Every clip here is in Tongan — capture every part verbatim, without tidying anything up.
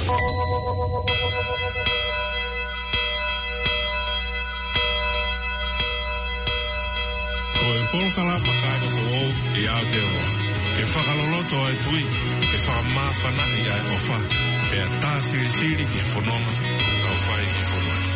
Ko e polokalama Kāinga Foʻou ʻi Aotearoa, ke fakaloloto ʻa e tui, ke fakamāfanaʻi ʻa e ʻofa, pea tā silisili ki he fononga ʻoku tau fai ʻi he fonua ni.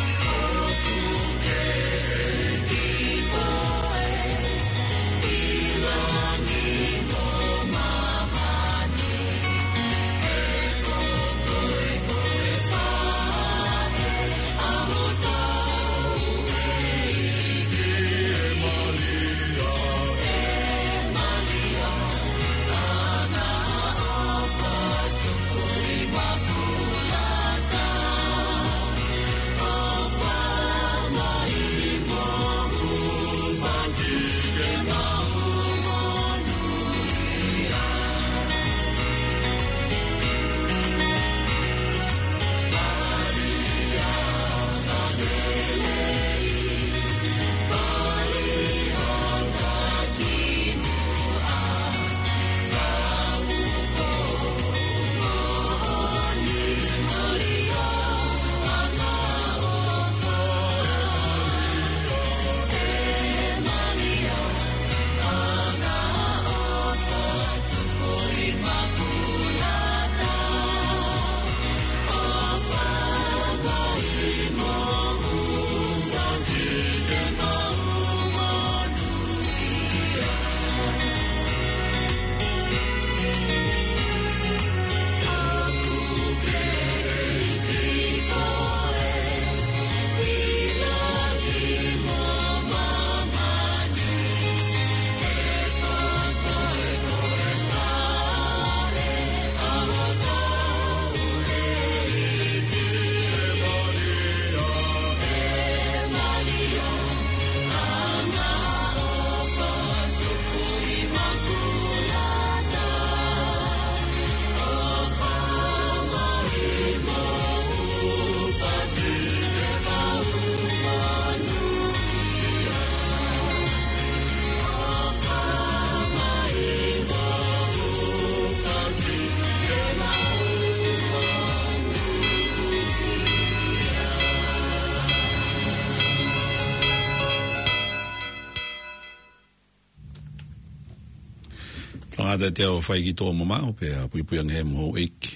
Tangata te au fai ki tō mamau, pea puipui ange he moho iki.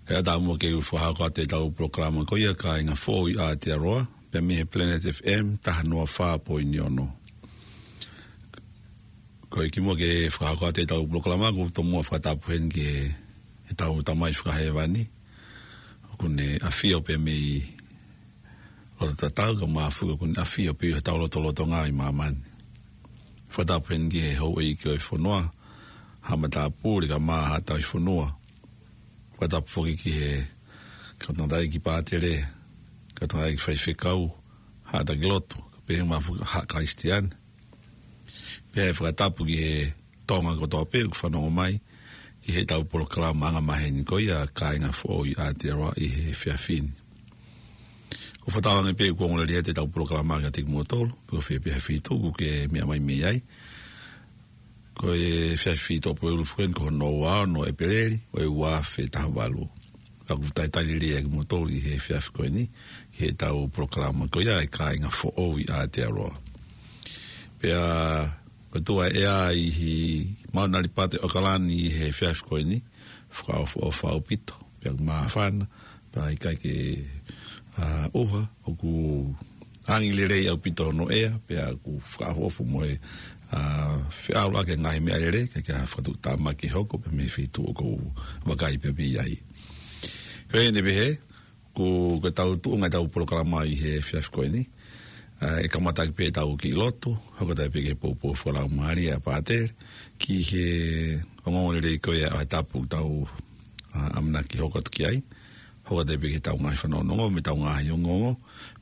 Kae ʻatā muʻa ke u fakahoko atu ʻetau polokalama ko ia Kāinga Foʻou ʻi Aotearoa, pea mei he Planet F M taha noa fā poini ono. Ko e kimuʻa ke fakahoko atu ʻetau polokalama, ʻoku ou tomuʻa fakatapu heni ki he, ʻetau Tamai Fakahēvani, ʻoku ne ʻafio pē mei loto tatau, kae ʻumaʻā foki ʻoku ne ʻafio pē ʻi hotau lotolotonga ʻi māmani. Fakatapu heni ki he houʻeiki ʻo e fonua, Haʻa Matāpule kae ʻumaʻā Haʻa Tauhi Fonua. Fakatapu foki ki he kau tangataʻeiki pātele, kau tangataʻeiki faifekau, haʻa taki lotu, kae pehē mai foki haʻa Kalisitiane. Pea ʻe fakatapu ki he Tonga kotoa pē ʻoku fanongo mai ki heʻetau polokalama angamaheni ko ia Kāinga Foʻou ʻi Aotearoa ʻi he efiafi ni. ʻOku ou fakatauange pē ʻoku ongo lelei atu ʻetau polokalama kiate kimoutolu, pe ko fē pē ha feituʻu ʻoku ke meʻa mai mei ai. Ko e efiafi Tuʻapulelulu foki eni ko hono ua ono ʻo ʻEpeleli, ʻo e ua afe taha valu. Pea ʻoku talitali lelei ʻa kimoutolu ʻi he efiafi ko eni, ki heʻetau polokalama ko ia ʻa e Kāinga Foʻou ʻi Aotearoa. Pea ko e tuʻu ʻa e ʻea ʻi he Mauna Lipate ʻAokalani ʻi he efiafi ko eni, fakaʻofoʻofa ʻaupito. Pea ʻoku māfana, pea ʻikai ke, ʻa, ʻuha, ʻoku angi lelei ʻaupito hono ʻea, pea ʻoku fakaʻofoʻofa mo e, ʻa, feʻaluʻaki e ngaahi meʻalele, ʻikai ke ʻi ai ha fakatuʻutāmaki ʻe hoko, pea mei he feituʻu ʻoku ou vakai pē mei ai. Ko eni pē hē, ko, ko ʻetau tuʻunga ʻetau polokalama ʻi he efiafi ko eni, ʻa, ʻe kamata ʻaki pē ʻetau kiʻi lotu, hoko atu ai pē ki he poupou fakalaumālie ʻa e pātele, ki he ongoongolelei ko ia ʻo e tapu ʻoku tau, ʻa, ʻamanaki hoko atu ki ai, hoko atu ai pē ki heʻetau ngaahi fanongonongo, mo ʻetau ngaahi ongoongo,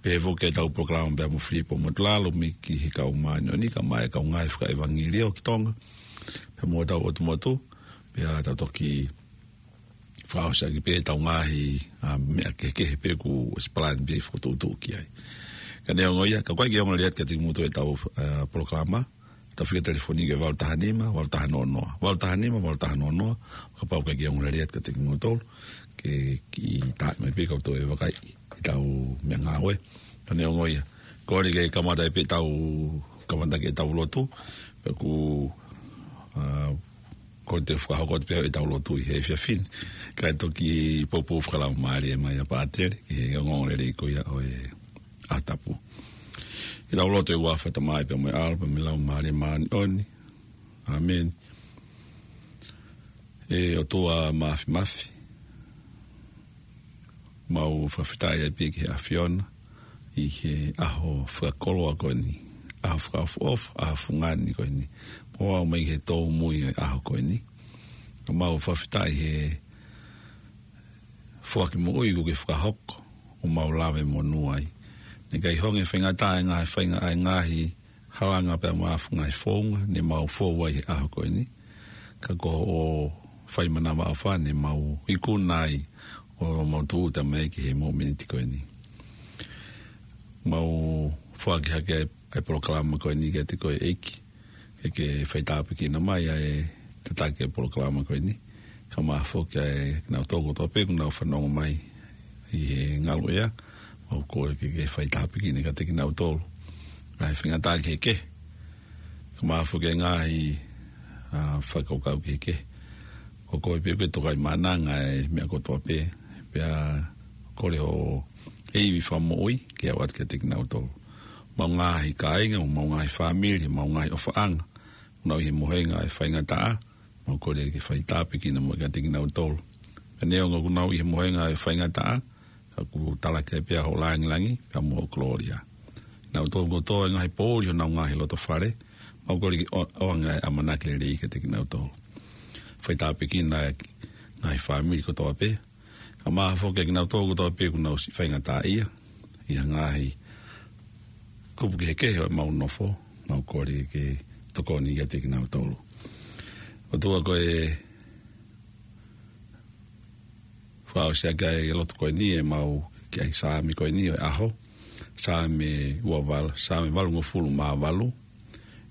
pehē foki ki heʻetau polokalama pea mo Filipo Motulalo, mei he kau māʻoniʻoni, kae ʻumaʻā e kau ngāue fakaʻevangeliō ki Tonga, pea mo hotau ʻotu motu, pea tau toki fakaʻosi ʻaki pē ʻetau ngaahi, ʻa, meʻa kehekehe pē kuo ʻosi palani pē fokotuʻutuʻu ki ai. Ka neongo ia, ka ʻoku ʻikai ke ongo lelei atu kiate kimoutolu ʻetau, ʻa, polokalama, Tau fika telefoni ki he valu taha nima, valu taha noa noa. Valu taha nima, valu taha noa noa. Kapau ʻoku ʻikai ke ongo lelei atu kiate kimoutolu, ke kiʻi tā mai pē ka u toe vakai ʻi heʻetau meʻangāue. Ka neongo ia, kole ke kamata pē ʻetau, kamata ki heʻetau lotu. Pea ʻoku, ā, kole ke fakahoko atu pē ʻetau lotu ʻi he efiafi ni. Kae toki poupou fakalaumālie mai ʻa Pātele ki he ongoongolelei ko ia ʻo e ʻaho tapu. ʻEtau lotu. ʻI he huafa ʻo e Tamai pea mo e ʻAlo pea mo e Laumālie Māʻoniʻoni. ʻĀmeni. ʻE ʻOtua Māfimafi, mau fakafetaʻi ʻaupito ki he ʻAfiona ʻi he ʻaho fakakoloa ko eni, ʻaho fakaʻofoʻofa, ʻaho fungani ko eni. Mau aʻu mai ki he tōmui ʻo e ʻaho ko eni. Ka mau fakafetaʻi he foaki moʻui kuo ke fakahoko, ʻo mau lave monū ai. Naʻe ʻikai hangē faingataʻa e ngaahi fainga-, ʻa e ngaahi halanga pea mo e ngaahi founga ne mau fou ai he ʻaho ko eni. Ka ko hoʻo fai manavaʻofa ne mau ikuna ai ʻo mau tūʻuta mai ki he mōmeniti ko eni. Mau foaki hake ai ʻa e polokalama ko eni kiate koe ʻEiki, ke ke faitāpuekina mai ʻa e tataki ʻa e polokalama ko eni. Kae ʻumaʻā foki ʻa kinautolu kotoa pē ʻoku nau fanongo mai ʻi he ngaluʻea, mau kole ke ke faitāpuekina kiate kinautolu. Ngaahi faingataʻa kehekehe, kae ʻumaʻā foki ʻa e ngaahi, ā, fakakaukau kehekehe. Ko koe pē ʻoku ke tokaimaʻananga ʻa e meʻa kotoa pē, pea kole hoʻo ivi fakamoʻui ke aʻu atu kiate kinautolu. Mau ngaahi kāinga, mau ngaahi fāmili, mau ngaahi ʻofaʻanga ʻoku nau ʻi he mohenga ʻo e faingataʻa, mau kole ke faitāpuekina mai kiate kinautolu. Pea neongo ʻoku nau ʻi he mohenga ʻo e faingataʻa, ka ʻoku talaki ai pē ʻa hoʻo langilangi pea mo hoʻo kolōlia. Kinautolu kotoa ʻi he ngaahi poʻuli ʻo honau ngaahi lotofale, mau kole ke ʻo-, ʻoange ʻa e ʻamanaki lelei kiate kinautolu. Faitāpuekina ʻa e ngaahi fāmili kotoa pē, kae ʻumaʻā foki ʻa kinautolu kotoa pē ʻoku nau siʻi faingataʻaʻia ʻi ha ngaahi kupu kehekehe ʻo ʻemau nofo, mau kole ke ke tokoni kiate kinautolu. ʻOtua, ko e fakaʻosi ʻaki ʻa e lotu ko eni ʻemau ki he Saame ko eni ʻo e ʻaho. Saame ua valu, Saame valungofulu mā valu.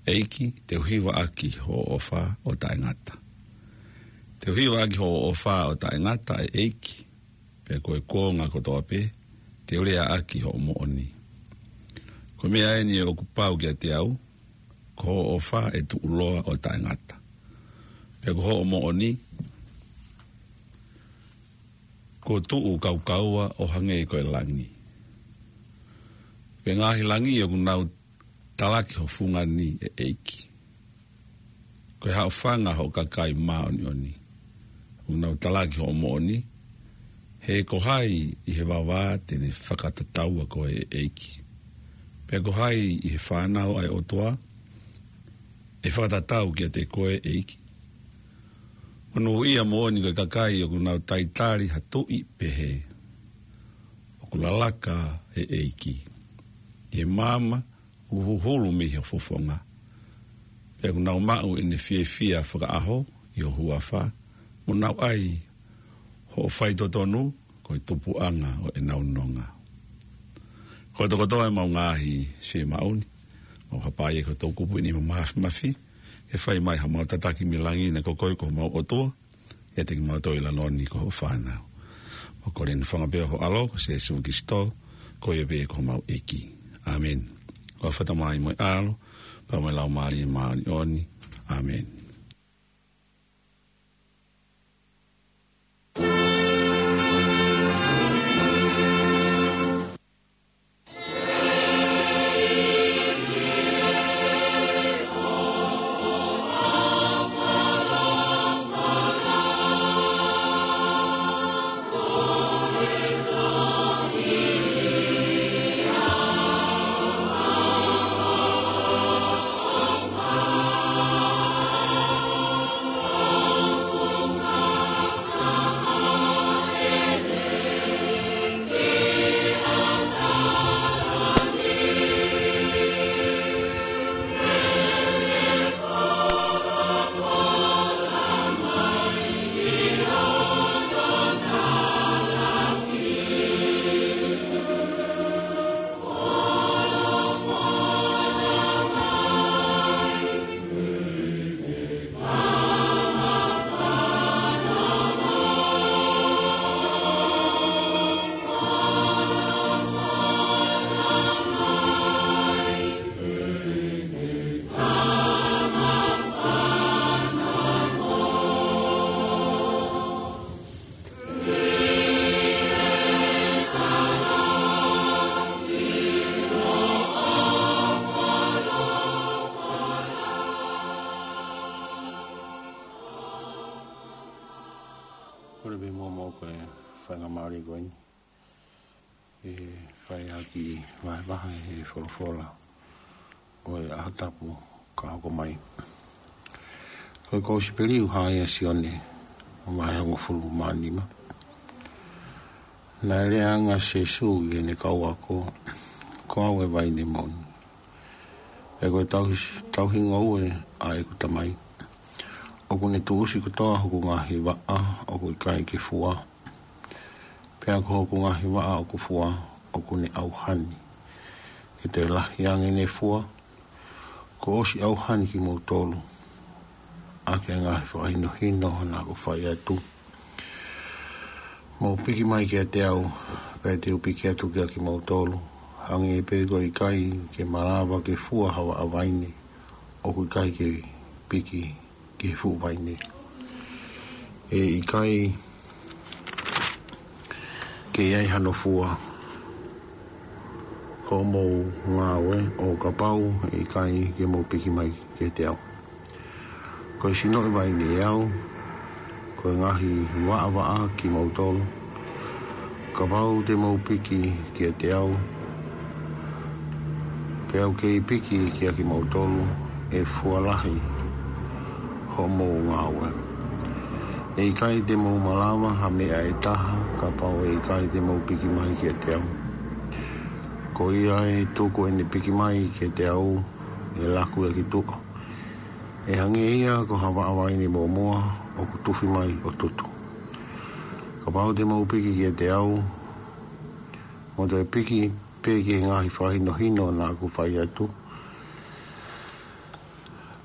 ʻEiki, te u hiva ʻaki hoʻo ʻofa ʻo taʻengata. Te u hiva ʻaki hoʻo ʻofa ʻo taʻengata, ʻe ʻEiki, pea ko e kuonga kotoa pē te u lea ʻaki hoʻo moʻoni. Ko e meʻa eni ʻoku pau kiate au, ko hoʻo ʻofa ʻe tuʻuloa ʻo taʻengata. Pea ko hoʻo moʻoni kuo tuʻu kaukaua ʻo hangē ko e langi. Ko e ngaahi langi ʻoku nau talaki ho fungani, ʻe ʻEiki. Ko e haʻofanga hoʻo kakai māʻoniʻoni ʻoku nau talaki hoʻo moʻoni. He ko hai ʻi he vavā te ne fakatataua koe, ʻe ʻEiki? Pea ko hai ʻi he fānau ʻa e ʻOtua ʻe fakatatau kiate koe, ʻEiki? Monūʻia moʻoni ko e kakai ʻoku nau talitali ha tuʻi pehē. ʻOku lalaka, ʻe ʻEiki, ʻi he maama ʻoku huhulu mei ho fofonga. Pea ʻoku nau maʻu ʻene fiefia fakaʻaho ʻi ho huafa, mo nau ʻai hoʻo faitotonu ko e tupuʻanga ʻo ʻenau nonga. Kotokotoa ʻemau ngaahi fiemaʻu ni, mau hapai ʻi he toʻukupu ʻi he nima Māfimafi, ke fai mai haʻamau tataki mei langi, naʻa ko koe ko homau ʻOtua, ʻiate kimautolu ʻi he lalo ni ko hoʻo fānau. Mau kole ʻeni ʻi he huafa pē ʻo ho ʻAlo ko Sēsū Kilisitō, ko ia pē ko homau ʻEiki. ʻĀmeni. ʻI he huafa ʻo e Tamai mo e ʻAlo pea mo e Laumālie Māʻoniʻoni. ʻĀmeni. Kole pē muʻa mo koe fai ngā mālie ko eni. ʻE fai ʻaki vahevahe he folofola ʻo e ʻaho tapu ka hoko mai. Ko e kosipeli ʻoku hā ia ʻia Sione, vahe hongofulu mā nima. Naʻe lea ange ʻa Sīsū ki heʻene kau ako, Ko au e vaine moʻoni. ʻE ko e tau, tauhi ngoue ʻa ʻeku Tamai. ʻOku ne tuʻusi kotoa hoku ngaahi vaʻa, ʻoku ʻikai ke fua. Pea ko hoku ngaahi vaʻa ʻoku fua, ʻoku ne ʻauha ni. Ke toe lahi ange ʻene fua, kuo ʻosi ʻauha ni kimoutolu ʻaki e ngaahi fakahinohino naʻa ku fai atu. Mou piki mai kiate au, pea te u piki atu kiate kimoutolu. Hangē pē ko e ʻikai ke malava ke fua ha vaʻa vaine ʻoku ʻikai ke piki ki he fuʻu vaine. ʻE ʻikai ke ʻi ai hano fua hoʻomou ngāue ʻo kapau ʻe ʻikai ke mou piki mai kiate au. Ko e sino ʻo e vaine ʻe au, ko e ngaahi vaʻavaʻa kimoutolu. Kapau te mou piki kiate au, pea u kei piki kiate kimoutolu, ʻe fua lahi hoʻomou ngāue. ʻE ʻikai te mou malava ha meʻa ʻe taha, kapau ʻe ʻikai te mou piki mai kiate au. Ko ia ʻe tuku ʻene piki mai kiate au, ʻe laku ia ki tuʻa. ʻE hangē ia ko ha vaʻa vaine mōmoa ʻoku tufi mai ʻo tutu. Kapau te mou piki kiate au, mou toe piki pē ki he ngaahi fakahinohino naʻa ku fai atu.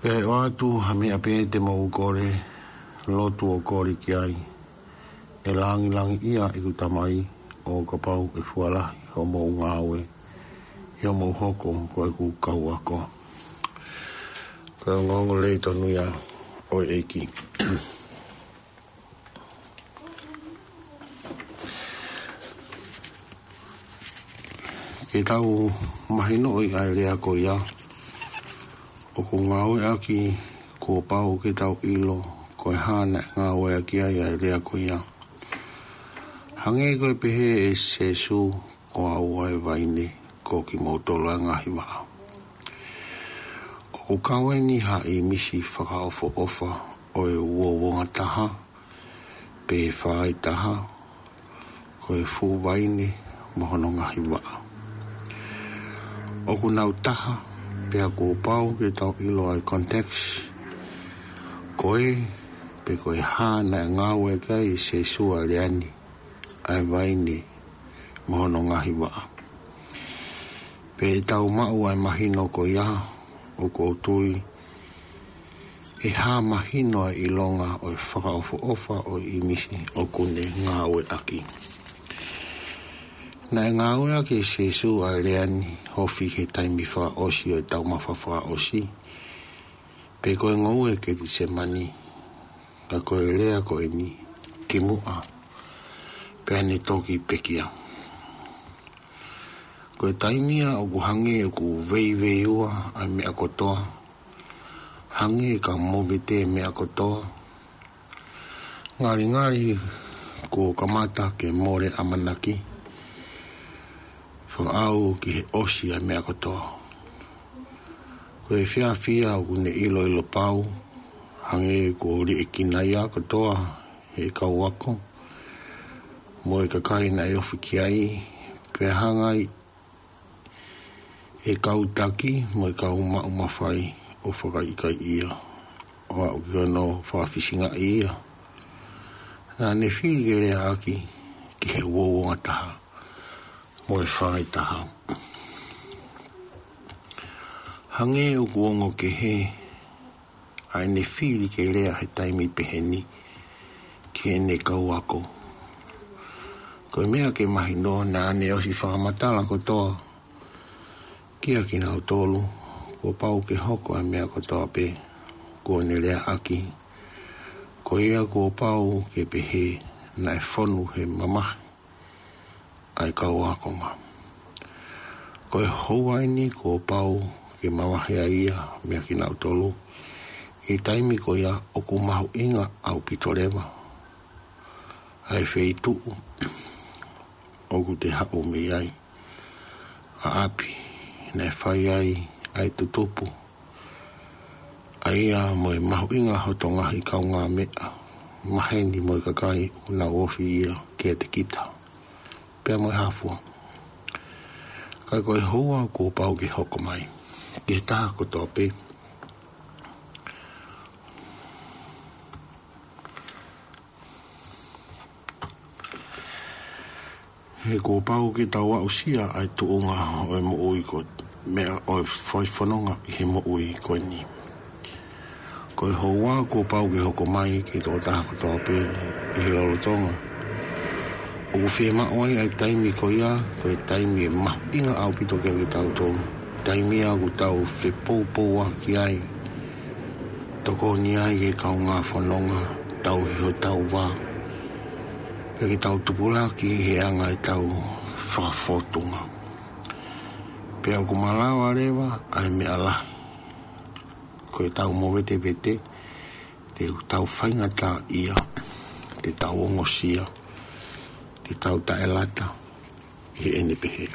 Pea ʻe ʻoatu ha meʻa pē te mou kole, lotu ʻo kole ki ai, ʻe langilangiʻia ʻeku Tamai ʻo kapau ʻe fua lahi hoʻomou ngāue ʻi hoʻomou hoko ko ʻeku kau ako. Ko e ongoongolelei tonu ia ʻo e ʻEiki. Ke tau mahinoʻi ʻa e lea ko ia, ʻoku ngāueʻaki kuo pau ke tau ʻilo ko e hā naʻe ngāueʻaki ai ʻa e lea ko ia. Hangē ko e pehē ʻe Sīsū, Ko au ʻa e vaine, ko kimoutolu ʻa e ngaahi vaʻa. ʻOku kau eni ha ʻīmisi fakaʻofoʻofa ʻo e uouongataha, pe fāitaha, ko e fuʻu vaine mo hono ngaahi vaʻa. ʻOku nau taha, pea kuo pau ke tau ʻilo ʻa e context, ko e, pe ko e hā naʻe ngāueʻaki ai ʻe Sīsū ʻa e lea ni, ʻa e vaine mo hono ngaahi vaʻa. Pea ʻi heʻetau maʻu ʻa e mahino ko ia, ʻoku ou tui ʻe hā mahino ʻa e ʻilonga ʻo e fakaʻofoʻofa ʻo e ʻīmisi ʻoku ne ngāueʻaki. Naʻe ngāueʻaki ʻe Sīsū ʻa e lea ni ofi he taimi fakaʻosi ʻo e taumafa fakaʻosi, pe ko e ngoue Ketisemani, ka ko e lea ko eni kimuʻa pea ne toki pekia. Ko e taimi ia ʻoku hangē ʻoku veiveiua ʻa e meʻa kotoa, hangē ka movete e meʻa kotoa, ngalingali kuo kamata ke mole ʻamanaki, fakaʻau ki he ʻosi ʻa e meʻa kotoa. Ko e efiafi ia ʻoku ne ʻiloʻilo pau, hangē kuo liʻekina ia kotoa he kau ako mo e kakai naʻe ofi ki ai, pea hanga ai ʻe he kau taki mo e kau maʻu mafai ʻo fakaʻikaiʻi ia, ʻo aʻu ki hono fakafisingaʻi ia. Naʻa ne fili ke leaʻaki ki he uouongataha mo e fāitaha. Hangē ʻoku ongo kehe ʻa ʻene fili ke lea he taimi pehē ni ki heʻene kau ako. Ko e meʻa ke mahino, naʻa ne ʻosi fakamatala kotoa kiate kinautolu kuo pau ke hoko ʻa e meʻa kotoa pē kuo ne leaʻaki. Ko ia kuo pau ke pehē naʻe fonu he mamahi ʻa e kau ākonga. Ko e houa eni kuo pau ke mavahe ai ia meiate kinautolu. ʻI he taimi ko ia ʻoku mahuʻinga ʻaupito leva ʻa e feituʻu ʻoku te haʻu mei ai, ʻa ʻapi naʻe fai ai ʻa e tutupu, ʻa ia mo e mahuʻinga hoto ngaahi kaungāmeʻa, maheni mo e kakai ʻoku nau ofi ia kiate kita, pea mo e hā fua. Ka ko e houa kuo pau ke hoko mai ki he taha kotoa pē. He kuo pau ke tau aʻusia ʻa e tuʻunga ʻo e moʻui ko e meʻa ʻo e fai fononga ʻi he moʻui ko eni. Ko e houa kuo pau ke hoko mai ki he tokotaha kotoa pē ʻi he lolotonga. ʻOku fiemaʻu ai ʻa e taimi ko ia, ko e taimi ʻe mahuʻinga ʻaupito kiate kitautolu. Taimi ia ʻoku tau fepoupouaki ai, tokoni ai ki he kaungā fononga, tauhi hotau vā, pea ke tau tupulaki he anga ʻetau fakafōtunga. Pea ʻoku malava leva ʻa e meʻa lahi, ko ʻetau movetevete, te tau faingataʻaʻia, te tau ongosia, te tau taʻelata, ʻi heʻene pehē.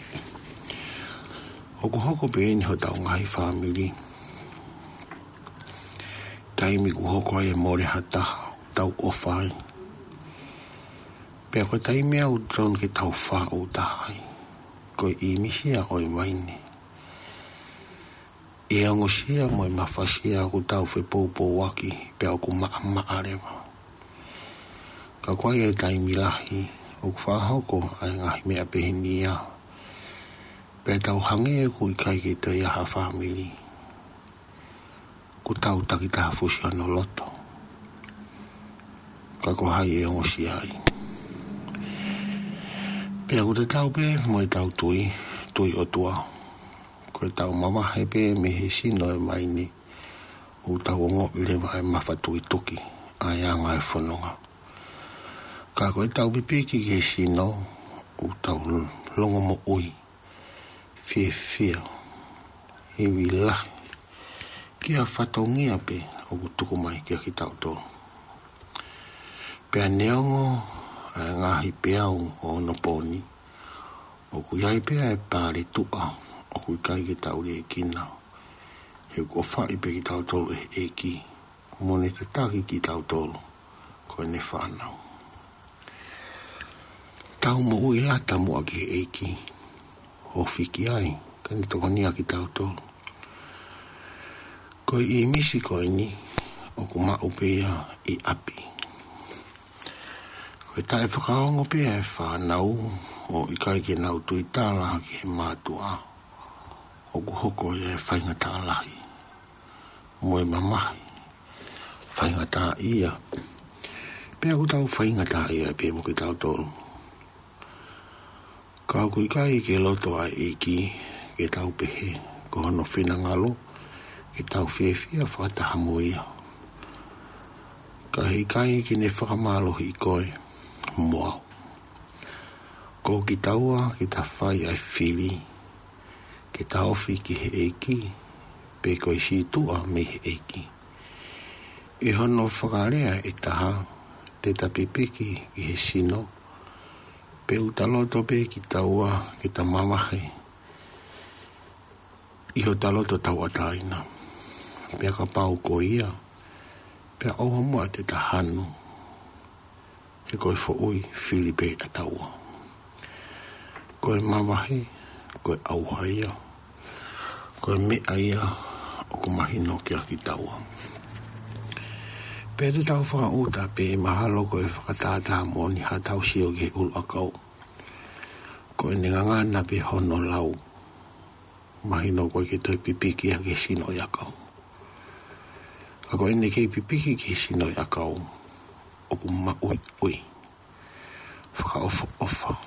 ʻOku hoko pē eni hotau ngaahi fāmili. Taimi ʻoku hoko ai e mole ha taha ʻoku tau ʻofa ai. Pea ko e taimi ia ʻoku totonu ke tau fāʻūtaha ai. Ko e ʻīmisi ia ʻo e vaine. ʻI he ongosia mo e mafasia ʻoku tau fepoupouaki pea ʻoku maʻamaʻa leva. Ka ko e taimi lahi, ʻoku fakahoko ʻa e ngaahi meʻa peheni ia. Pea tau hangē ʻoku ʻikai ke toe ʻi ai ha fāmili. ʻOku tau takitaha fusi hono loto. Ka ko hai ʻe ongosia ai. Pea ʻoku tatau pē mo ʻetau tui, tui ʻOtua. Ko ʻetau mavahe pē mei he sino ʻo e vaine, ʻoku tau ongoʻi leva ʻa e mafatukituki ʻa e anga ʻo e fononga. Ka ko ʻetau pipiki ki he sino, ʻoku tau longomoʻui, fiefia, ivi lahi, ki ha fatongia pē ʻoku tuku mai kiate kitautolu. Pea neongo ʻa e ngaahi peau ʻo onopooni, ʻoku ʻi ai pē ʻa e paletuʻa ʻoku ʻikai ke tau liʻekina. He ʻoku ʻofaʻi pē kitautolu ʻe he ʻEiki, mo ne tataki kitautolu ko ʻene fānau. Tau moʻui lata muʻa ki he ʻEiki, ofi ki ai, ka ne tokonia kitautolu. Ko e ʻīmisi ko eni, ʻoku maʻu pē ia ʻi ʻapi. Ko e taʻefakaongo pē ʻa e fānau, ʻo ʻikai ke nau tuitala ki he mātuʻa, ʻoku hoko ia ʻa e faingataʻa lahi mo e mamahi, faingataʻaʻia. Pea ʻoku tau faingataʻaʻia pē mo kitautolu. Ka ʻoku ʻikai ke loto ʻa e ʻEiki ke tau pehē, ko hono finangalo ke tau fiefia fakataha mo ia. Ka heʻikai ke ne fakamālohiʻi koe mo au. Ko kitaua ke ta fai ʻa e fili, ke ta ofi ki he ʻEiki, pe ko e sītuʻa mei he ʻEiki. ʻI hono fakalea ʻe taha, te ta pipiki ki he sino, pe ʻoku ta loto pē kitaua ke ta mavahe ʻi hota loto tauʻatāina. Pea kapau ko ia, pea ʻoua muʻa te ta hanu, he ko e foʻui fili pē ʻataua. Ko e mavahe, ko e ʻauha ia, ko e meʻa ia ʻoku mahino kiate kitaua. Pea te tau fakaʻuta pē, mahalo ko e fakatātā moʻoni haʻatau sio ki he ʻuluʻakau. Ko ʻene ngangana pē hono lau. Mahino ko e ke toe pipiki ia ki he sino ʻo e ʻakau. Ka ko ʻene kei pipiki ki he sino ʻo e ʻakau, ʻoku maʻuiʻui, fakaʻofoʻofa,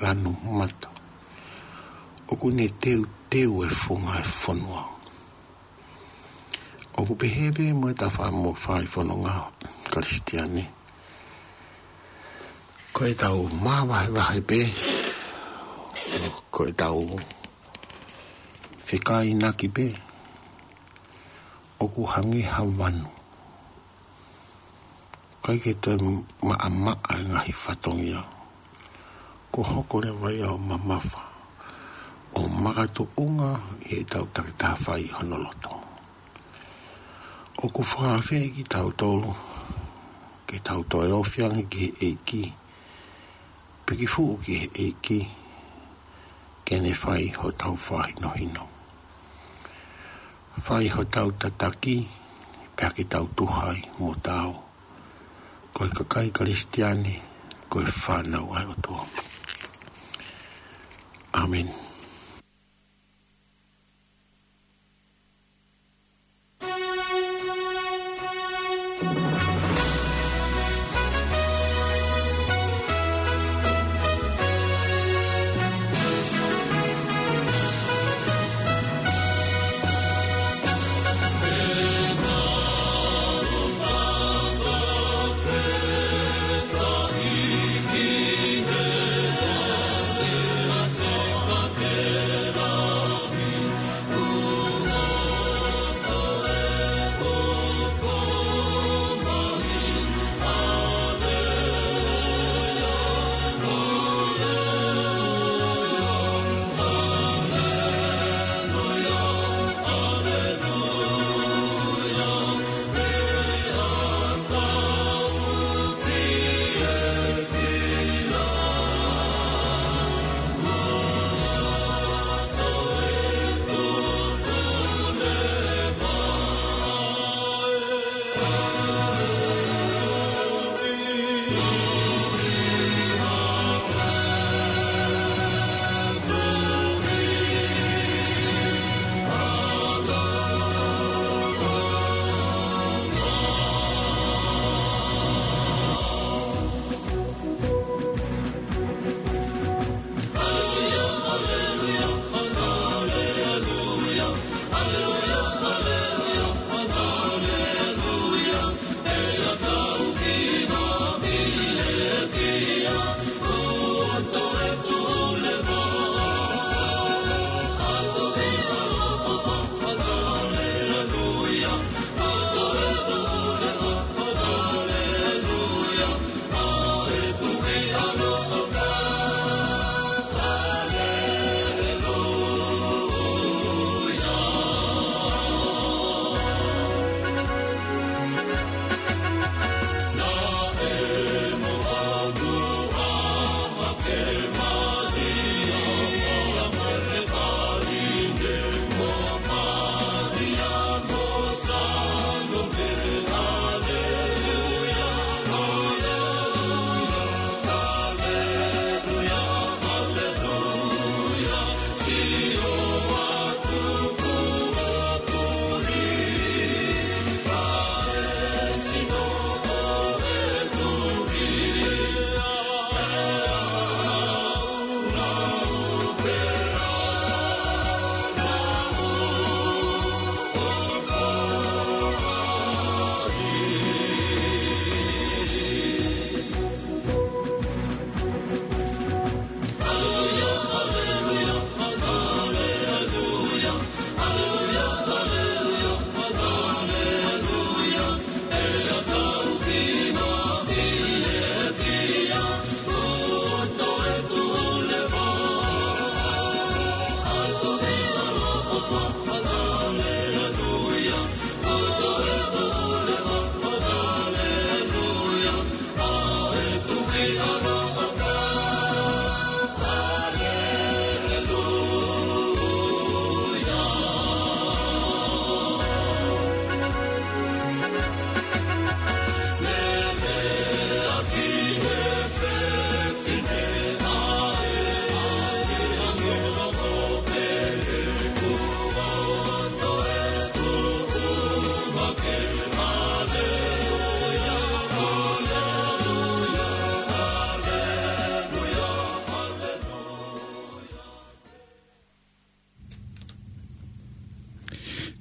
lanu mata. ʻOku ne teuteu e funga e fonua. ʻOku pehē pē mo ʻetau fai fononga Kalisitiane. Ko ʻetau māvahevahe pē, ko ʻetau fekāinaki pē, ʻoku hangē ha vanu. ʻIkai ke toe maʻamaʻa e ngaahi fatongia. Kuo hoko leva ia ʻo mamafa, ʻo makatuʻunga ʻi heʻetau takitaha fai hono loto. ʻOku fakaafeʻi kitautolu ke tau toe ofi ange ki he ʻEiki, piki fuʻu ki he ʻEiki, ke ne fai hotau fakahinohino. Fai hotau tataki, pea ke tau tuha ai mo tau. Ko e kakai Kalisitiane, ko e fānau ʻa e ʻOtua. ʻĀmeni.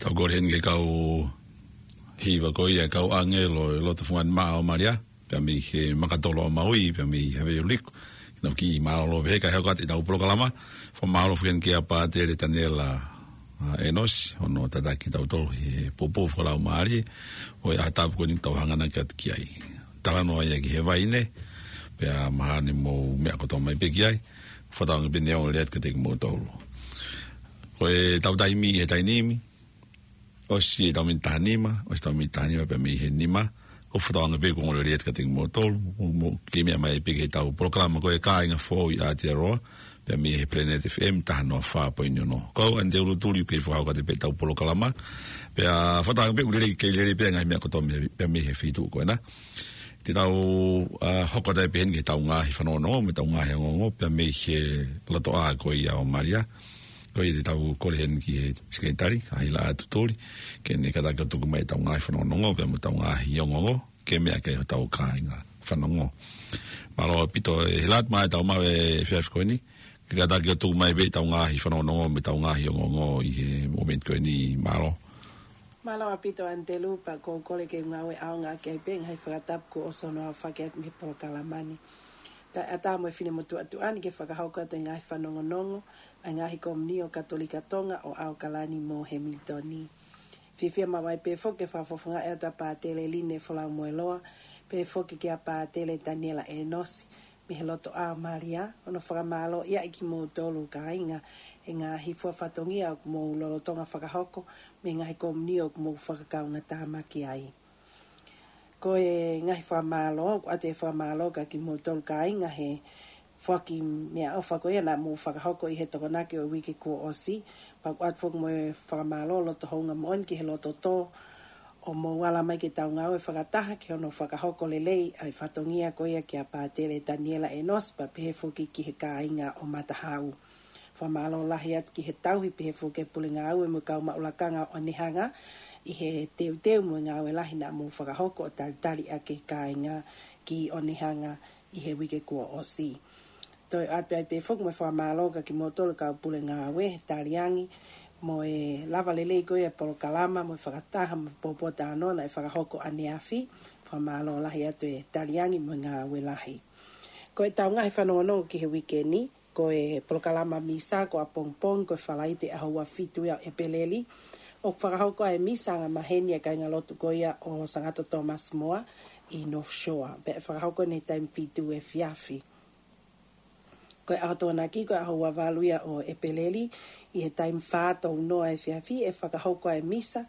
Tau kole heni ki he kau hiva ko ia, kau ʻāngelo ʻi loto fungani maʻa ʻo Malia, pea mei he Makatolo ʻo Maui, pea mei Havaiuliku. Naʻa ku kiʻi mālōlō pē he kae hoko atu ʻetau polokalama. Fakamālō foki heni kia Pātele Taniela, ʻa, ʻEnosi, hono tataki kitautolu he poupou fakalaumālie ʻo e ʻaho tapu ko eni ʻoku tau hanganaki atu ki ai. talanoa ia ki he vaine, pea mahalo ne mou meʻa kotoa mai pē ki ai, fakatauange pē ne ongo lelei atu kiate kimoutolu. Ko ʻetau taimi he taimi ni, ʻosi ʻetau miniti taha nima, ʻosi ʻetau miniti taha nima pea mei he nima, ʻoku fakatauange pē kuo ongo lelei atu kiate kimoutolu, mou, mou kei meʻa mai pē ki heʻetau polokalama ko e Kāinga Foʻou ʻi Aotearoa, pea mei he Planet F M taha noa fā poini ono. Ko au ʻAnitelū Tuli ʻoku kei fakahoko atu pē ʻetau polokalama. Pea fakatauange pē ʻoku lelei, kei lelei pē ngaahi meʻa kotoa mei, pea mei he feituʻu ko ena. Te tau, ʻa, hoko atu pē heni ki heʻetau ngaahi fanongonongo, mo ʻetau ngaahi ongoongo, pea mei he lotoʻā ko ia ʻo Malia. Ko ia te tau kole heni ki he sekelitali, ka Hilaʻatu Tuli, ke ne kātaki ʻo tuku mai ʻetau ngaahi fanongonongo, pea mo ʻetau ngaahi ongoongo, ke meʻa ki ai hotau kāinga fanongo. Mālō ʻaupito ʻe Hilaʻatu maʻa ʻetau maʻu e efiafi ko eni, ke kātaki ʻo tuku mai pē ʻetau ngaahi fanongonongo mo ʻetau ngaahi ongoongo ʻi he momeniti ko eni, mālō. Mālō ʻaupito ʻAnitelū, pea ʻoku ou kole ke u ngāue ʻaonga ki ai pē ngaahi fakatapu kuo ʻosi hono aofaki atu mei he polokalama ni. Kae ʻatā mo e finemotuʻa tuʻa ni ke fakahoko atu e ngaahi fanongonongo ʻa e ngaahi komiuniti ʻo Katolika Tonga ʻo ʻAokalani mo Hemilitoni. Fiefia maʻu ai pē foki ke fakafofongaʻi atu ʻa Pātele Line Folaumueloa, pehē foki kia Pātele Taniela ʻEnosi, mei he lotoʻā ʻo Malia, hono fakamālō ia ʻi kimoutolu kāinga, he ngaahi fua fatongia ʻoku mou lolotonga fakahoko, mei he ngaahi komiuniti ʻoku mou fakakaungātāmaki ai. Ko e ngaahi fakamālō, ʻoku ʻoatu e fakamālō kia kimoutolu kāinga he foaki meʻaʻofa ko ia naʻa mou fakahoko ʻi he Tokonaki ʻo e uike kuo ʻosi, pea ʻoku ʻoatu foki mo e fakamālō loto houngaʻia moʻoni ki he loto tō, ʻo mou ala mai ke tau ngāue fakataha ki hono fakahoko lelei ʻa e fatongia ko ia kia Pātele Taniela ʻEnosi, pea pehē foki ki he kāinga ʻo Matahau. Fakamālō lahi atu ki he tauhi, pehē foki ki he pule ngāue mo e kau maʻu lakanga ʻo ʻOnehanga ʻi he teuteu mo e ngāue lahi naʻa mou fakahoko ʻo talitali ʻaki e kāinga ki ʻOnehanga ʻi he uike kuo ʻosi. Toe ʻoatu ai pē foki mo e fakamālō kia kimoutolu kau pule ngāue he taliangi mo e lava lelei ko ia e polokalama mo e fakataha mo e pōpoaki talanoa naʻe fakahoko ʻaneafi. Fakamālō lahi atu e taliangi mo e ngāue lahi. Ko ʻetau ngaahi fanongonongo ki he uike ni, ko e polokalama misa ko ʻapongipongi, ko e Falaite ʻaho ua fitu ia ʻo ʻEpeleli, ʻoku fakahoko ai e misa angamaheni ʻa e kāingalotu ko ia ʻo Sangato Thomas More ʻi North Shore. Pea ʻe fakahoko ʻi he taimi fitu efiafi. Ko e ʻaho Tokonaki ko e ʻaho ua valu ia ʻo ʻEpeleli, ʻi he taimi fā tou noa efiafi ʻe fakahoko ai e misa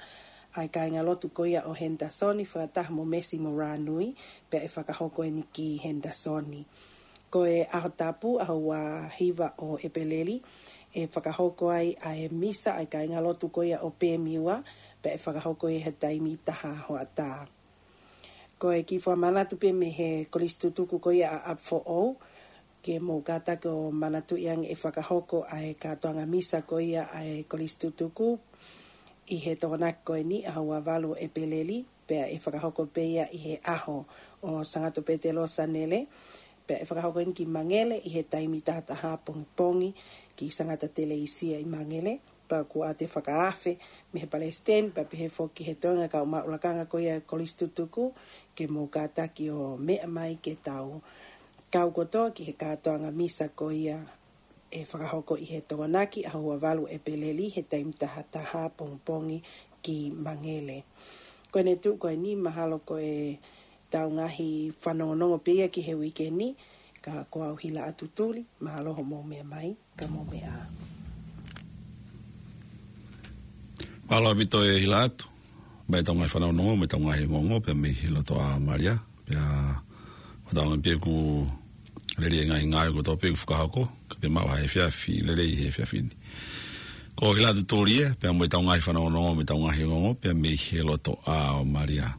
ʻa e kāingalotu ko ia ʻo Henderson fakataha mo Mesi mo Ranui, pea ʻe fakahoko eni ki Henderson. Ko e ʻaho Tapu, ʻaho ua hiva ʻo ʻEpeleli, ʻe fakahoko ai ʻa e misa ʻa e kāingalotu ko ia ʻo Pemiua, pea ʻe fakahoko ʻi he taimi taha hoʻatā. Ko e kiʻi fakamanatu pē mei he Kolisi Tutuku ko ia ʻa ʻApifoʻou, ke mou kātaki ʻo manatuʻi ange ʻe fakahoko ʻa e kātoanga misa ko ia ʻa e Kolisi Tutuku ʻi he Tokonaki ko eni, ʻaho ua valu ʻo ʻEpeleli, pea ʻe fakahoko pē ia ʻi he ʻaho ʻo Sangato Petelo Sanele, pea ʻe fakahoko eni ki Mangele ʻi he taimi taha taha pongipongi ki Sangata Teleisia ʻi Mangele. Pea ʻoku ʻoatu e fakaafe mei he Palesiteni, pea pehē foki ki he toenga kau maʻu lakanga ko ia Kolisi Tutuku, ke mou kātaki ʻo meʻa mai ke tau kau kotoa ki he kātoanga misa ko ia ʻe fakahoko ʻi he Tokonaki, ʻaho ua valu ʻo ʻEpeleli, he taimi taha taha pongipongi ki Mangele. Ko ʻene tuʻu ko eni, mahalo ko ʻetau ngaahi fanongonongo pē ia ki he uike ni, ka ko au Hilaʻatu Tuli, mālō hoʻomou meʻa mai, ka mou meʻa ā. Mālō ʻaupito ʻe Hilaʻatu, maʻa ʻetau ngaahi fanongonongo, mo ʻetau ngaahi ongoongo, pea mei he lotoʻā ʻo Malia, pea fakatauange pē ʻoku lelei e ngaahi ngāue kotoa pē ʻoku fakahoko, kae pehē maʻu ha efiafi lelei he efiafi ni. Ko Hilaʻatu Tuli ia, pea mo ʻetau ngaahi fanongonongo, mo ʻetau ngaahi ongoongo, pea mei he lotoʻā ʻo Malia.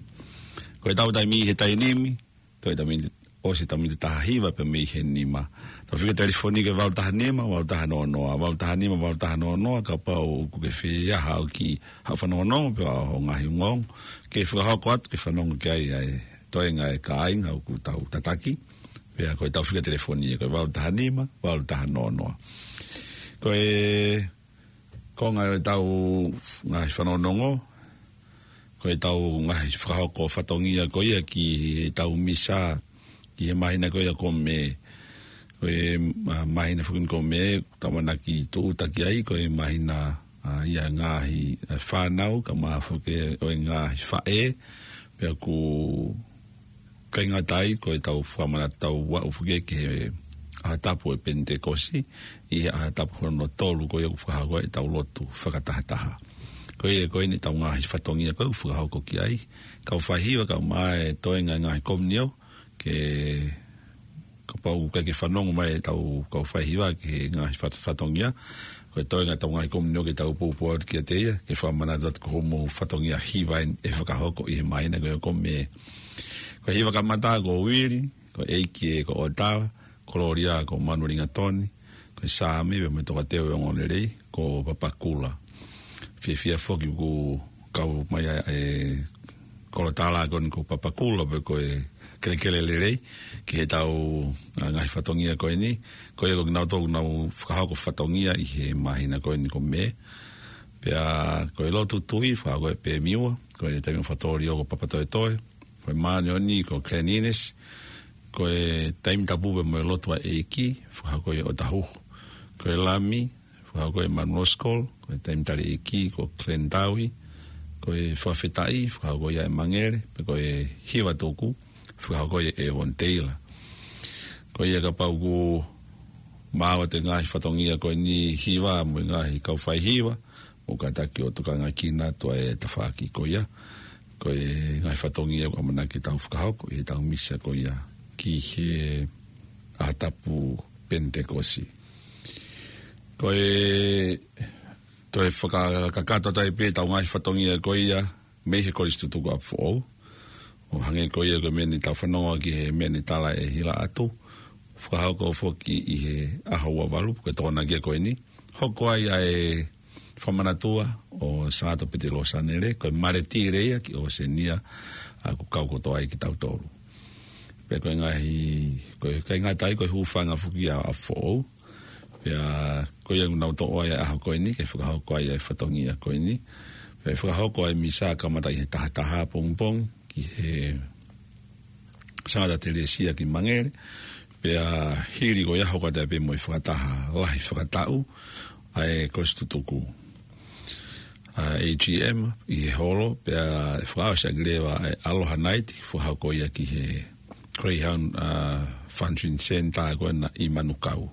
Ko ʻetau taimi he taimi ni, toe ʻetau miniti, ʻosi ʻetau miniti taha hiva pea mei he nima. Tau fika telefoni ko e valu taha nima, valu taha noa noa, valu taha nima, valu taha noa noa, kapau ʻoku ke fie ʻai haʻo kiʻi, haʻo fanongonongo, pe ko haʻo ngaahi ongoongo, ke fakahoko atu, ke fanongo ki ai ʻa e toenga ʻo e kāinga ʻoku tau tataki, pea ko ʻetau fika telefoni ko e valu taha nima, valu taha noa noa. Ko e konga ʻo ʻetau ngaahi fanongonongo, ko ʻetau ngaahi fakahoko fatongia ko ia ki heʻetau misa, ki he māhina ko ia ko Mē, ko e, ā, māhina foki ni ko Mē, ʻoku tau ʻamanaki tūʻuta ki ai, ko e māhina, ā, ia ngaahi, ā, fānau, kae ʻumaʻā foki ʻo e ngaahi faʻē, pea ʻoku pea ngata ai ko ʻetau fakamanatu, tau aʻu foki ki he ʻaho tapu ʻo e Penitekosi, ʻi he ʻaho tapu hono tolu ko ia ʻoku fakahoko ai ʻetau lotu fakatahataha. Ko ia ko eni ʻetau ngaahi fatongia ko ē ʻoku fakahoko ki ai. Kau faihiva, kau mai e toenga e ngaahi komiunio, ke kapau ʻoku ʻikai ke fanongo mai ʻetau kau faihiva ki he ngaahi fat-, fatongia, ko e toenga ʻetau ngaahi komiunio ke tau poupou atu kiate ia, ke fakamanatu atu ko hoʻomou fatongia hiva eni ʻe fakahoko ʻi he māhina ko ē ʻoku mē. Ko e hiva kamata ko Uili, ko ʻEiki ē ko ʻOtala, ko Lolia ko Manuelingatoni, ko Sami, pea mo e tokateu ʻo e ongoongolelei, ko Papakula. Fiefia foki ʻoku kau mai ʻa e kolo tala ko eni ko Papakula, pe ko e kelekele lelei, ki heʻetau, ʻa, ngaahi fatongia ko eni, ko ia ko kinautolu ʻoku nau fakahoko fatongia ʻi he māhina ko eni ʻoku mē. Pea ko e lotu tui, fakahoko ʻe Pemiua, ko e taimi ʻo Fatōlio ko Papatoetoe, ko e māʻoniʻoni ko Glenn Innes, ko e taimi tapu pea mo e lotu ʻa e ʻEiki, fakahoko ʻe ʻOtahuhu. Ko e lami, fakahoko ʻe Manuel Scholl, ko e taimi tali ʻEiki ko Glenn Taui, ko e fakafetaʻi, fakahoko ia ʻe Mangele, pea ko e hiva tuku, fakahoko ʻe Evon Taylor. Ko ia kapau ʻoku maʻu ʻa e ngaahi fatongia ko eni hiva mo e ngaahi kau faihiva, mou kātaki ʻo tokangaʻi kinautolu ʻa e tafaʻaki ko ia. Ko e ngaahi fatongia ʻoku ʻamanaki ke tau fakahoko ʻi heʻetau misa ko ia ki he ʻaho tapu Penitekosi. Ko e toe fakakakato atu ai pē ʻetau ngaahi fatongia ko ia mei he Kolisi Tutuku ʻApifoʻou. ʻO hangē ko ia ko e meʻa naʻa tau fanongo ki he meʻa naʻe tala ʻe Hila atu, fakahoko foki ʻi he ʻaho ua valu, ko e Tokonaki ia ko eni. Hoko ai ʻa e fakamanatua ʻo Sāto Pete Losanele, ko e maleti lea ia ki ʻOsenia, ʻa, ʻoku kau kotoa ai kitautolu. Pea ko e ngaahi, ko e, ʻikai ngata ai, ko e hūfanga foki ʻa ʻApifoʻou. Pea ko ia ʻoku nau toʻo ai ʻa e ʻaho ko eni, ke fakahoko ai ʻa e fatongia ko eni. Pea fakahoko ai misa kamata ʻi he taha taha pongipongi, ki he Sangata Telesia ki Mangele, pea hili ko ia hoko atu ai pē mo e fakataha lahi fakataʻu ʻa e Kolisi Tutuku, ʻa, A G M ʻi he holo, pea ʻe fakaʻosi ʻaki leva ʻa e Aloha Night, fakahoko ia ki he Greyhound, ʻa, Function Center ko ena ʻi Manukau.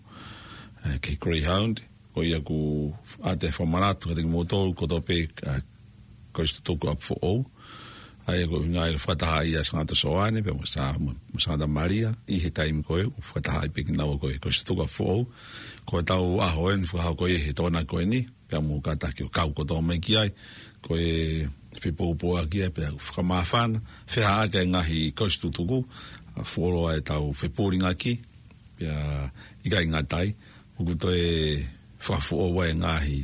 ʻA, ki he Greyhound, ko ia ʻoku ʻoatu e fakamanatu kiate kimoutolu kotoa pē, ʻa, Kolisi Tutuku ʻApifoʻou. ʻA ia ko e ʻuhinga ia ʻoku fakataha ai ʻa Sangata Soane, pea mo Sa-, mo, mo Sangata Malia, ʻi he taimi ko ē, ʻoku fakataha ai pē kinaua ko ē Kolisi Tutuku ʻApifoʻou. Ko ʻetau ʻaho eni, fakahoko ia he Tokonaki ko eni, pea mou kātaki ʻo kau kotoa mai ki ai, ko e fepoupouaki ia, pea fakamāfana, fehāʻaki e ngaahi Kolisi Tutuku, ʻa, fuoloa ʻetau fepūlingaki, pea ʻikai ngata ai, ʻoku toe fakafoʻou ai e ngaahi,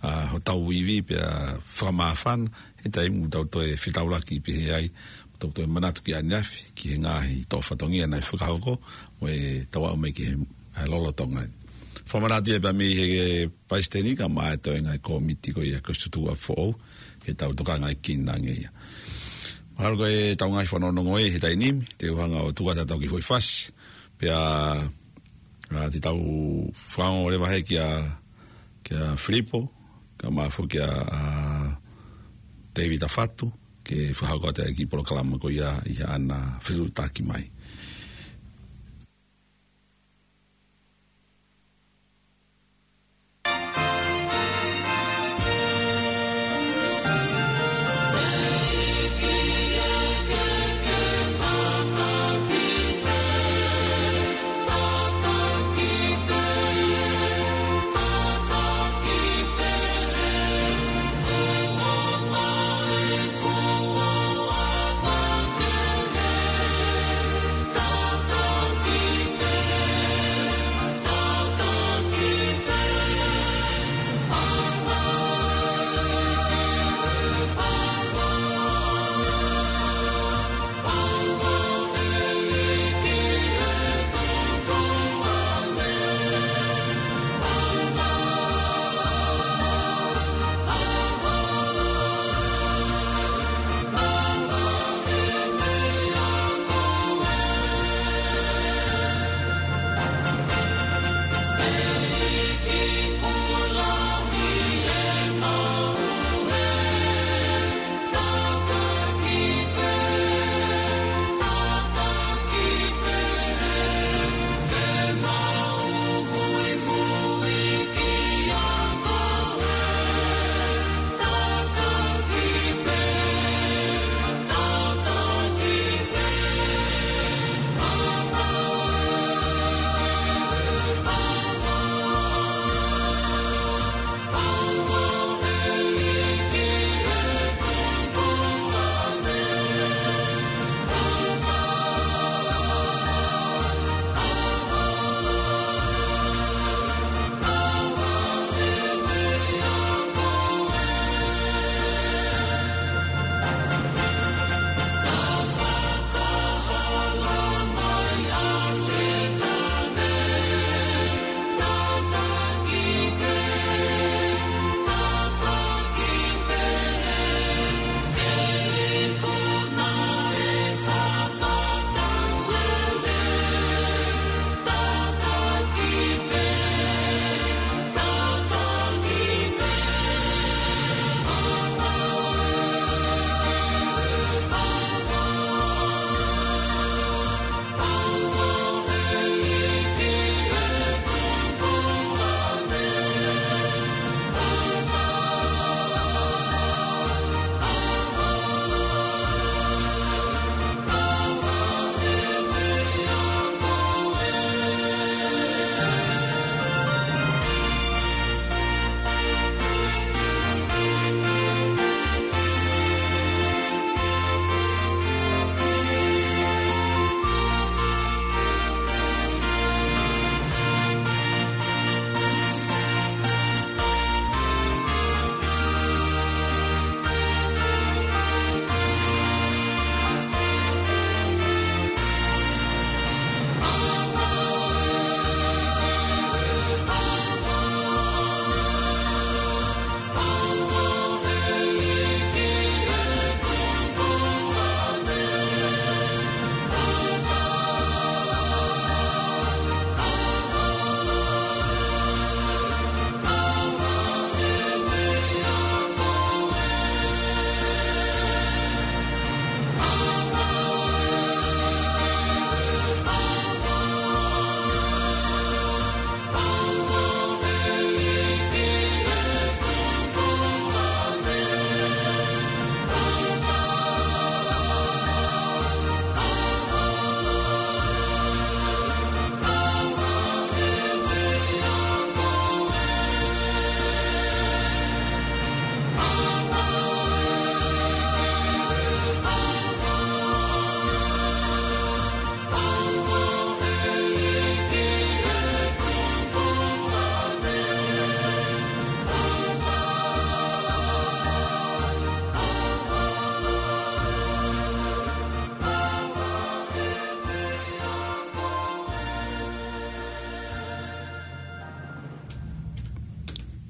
ʻa, hotau ivi pea fakamāfana, he taimi ʻoku tau toe fetaulaki pehē ai, ʻoku tau toe manatu ki ʻaneafi, ki he ngaahi toʻo fatongia naʻe fakahoko, mo ʻetau aʻu mai ki he, ʻa, lolotonga ni. Fakamanatu ia pea mei he Palesiteni kae ʻumaʻā e toenga e kōmiti ko ia Kolisi Tutuku ʻApifoʻou, ke tau tokangaʻi kinautolu ange ia. Mahalo ko ʻetau ngaahi fanongonongo ē he taimi ni, te u hanga ʻo tuku atu ʻetau kiʻi foʻi fasi, pea, ʻa, te tau fakaongo leva hē kia, kia Filipo, kae ʻumaʻā foki kia, ʻa, Tēvita Fatu, ke fakahoko atu e kiʻi polokalama ko ia ʻi haʻana fetuʻutaki mai.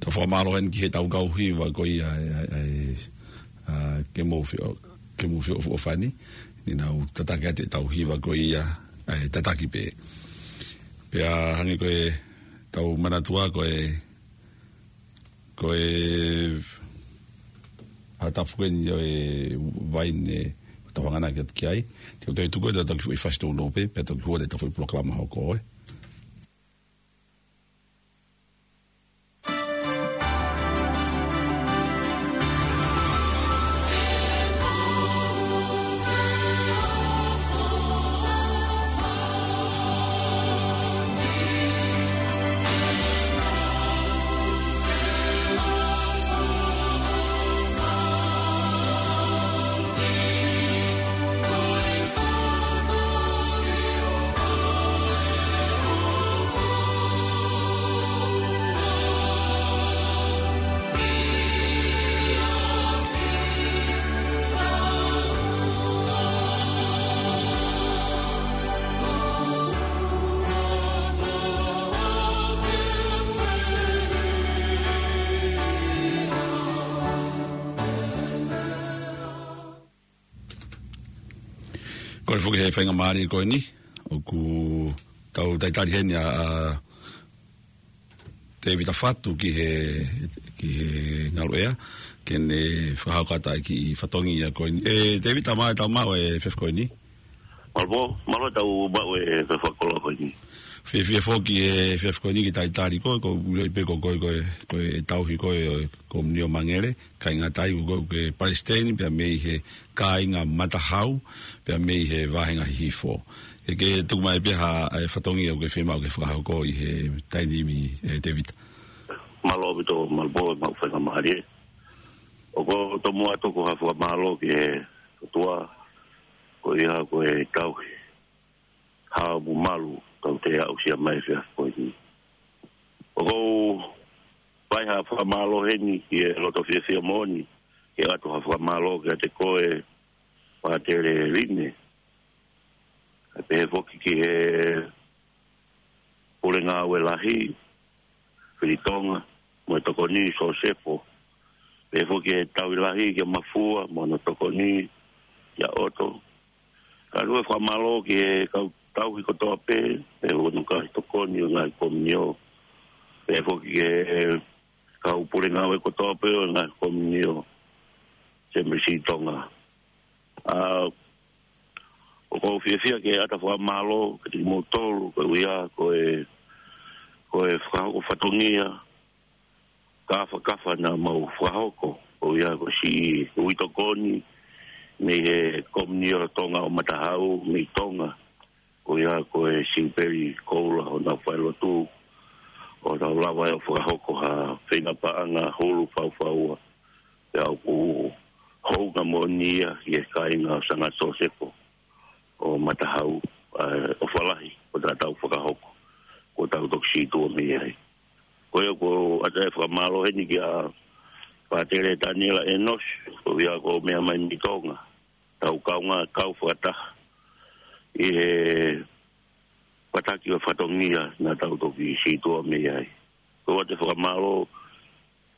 Tau fakamālō heni ki he tau kau hiva ko ia ʻa e, ʻa e, ʻa e, ʻa e, ke mou fio, ke mou fio ʻofa, ʻofa ni, naʻa nau tataki atu e tau hiva ko ia ʻa e tataki pē. Pea hangē ko e tau manatua ko e, ko e ʻa e tapu ko eni ʻo e vaine ʻoku tau hanganaki atu ki ai. Te u toe tuku atu e tau kiʻi foʻi fasi nounou pē, pea toki hua atu e tau foʻi polokalama hoko ē. Kole foki he faingamālie ko eni, ʻoku tau talitali heni ʻa, ʻa Tēvita Fatu ki he, ki he ngaluʻea, ke ne fakahoko atu e kiʻi fatongia ko eni. ʻE, Tēvita, mālō e tau maʻu e efiafi ko eni. Mālō, mālō e tau maʻu e efiafi fakakoloa ko eni. Fiefia foki he efiafi ko eni ke talitali koe, ko e ʻilo pē ko koe, ko e, ko e tauhi ko ē ʻo e Komiunio Mangele, kāinga Tonga, ko e palesiteni, pea mei he kāinga Matahau, pea mei he vāhenga Hihifo. Ke, ke tuku mai pē ha, e fatongia ʻoku ke fiemaʻu ke fakahoko ʻi he taimi ni, ʻe Tēvita. Mālō ʻaupito, mālō pō, maʻu faingamālie. ʻOku ou tomuʻa tuku ha fakamālō ki he ʻOtua, ko ia ko e tauhi haʻo malu tau toe aʻusia mai he efiafi ko eni. ʻOku ou fai ha fakamālō heni ki he loto fiefia moʻoni, ke ʻoatu ha fakamālō kiate koe Pātele Line. Kae pehē foki ki he Pule Ngāue Lahi, Fili Tonga, mo e Tokoni Sosefo. Pehē foki ki he Tauhi Lahi kia Mafua, mo hono tokoni kia ʻOto. Kae ʻoatu e fakamālō ki he kau tauhi kotoa pē, pehē foki ki he kau tokoni ʻo e ngaahi Komiunio. Pehē foki ki he kau pule ngāue kotoa pē ʻo e ngaahi Komiunio Seminisi Tonga. ʻA, ʻoku ou fiefia ke ʻoatu e fakamālō kiate kimoutolu, koeʻuhi ko e, ko e fakahoko fatongia, kāfakafa naʻa mau fakahoko, koeʻuhi ko e siʻi uitokoni mei he Komiunio Tonga ʻo Matahau mei Tonga, koeʻuhi ko e Siupeli Koula ʻo nau failotu, ʻo tau lava ʻo fakahoko ha feinga paʻanga hulu faufaua, pea ʻoku hounga moʻoni ia ki he kāinga ʻo Sanga Sosefo ʻo Matahau, ʻa, ʻofa lahi ʻoku tau fakahoko, ʻoku tau toki sītuʻa mei ai. Ko ia ʻoku ou ʻoatu e fakamālō heni kia Pātele Taniela ʻEnosi, koeʻuhi ko e meʻa mai mei Tonga, tau kaungā kau fakataha ʻi he fakataha ki he fatongia naʻa tau toki sītuʻa mei ai. ʻOku ou ʻoatu e fakamālō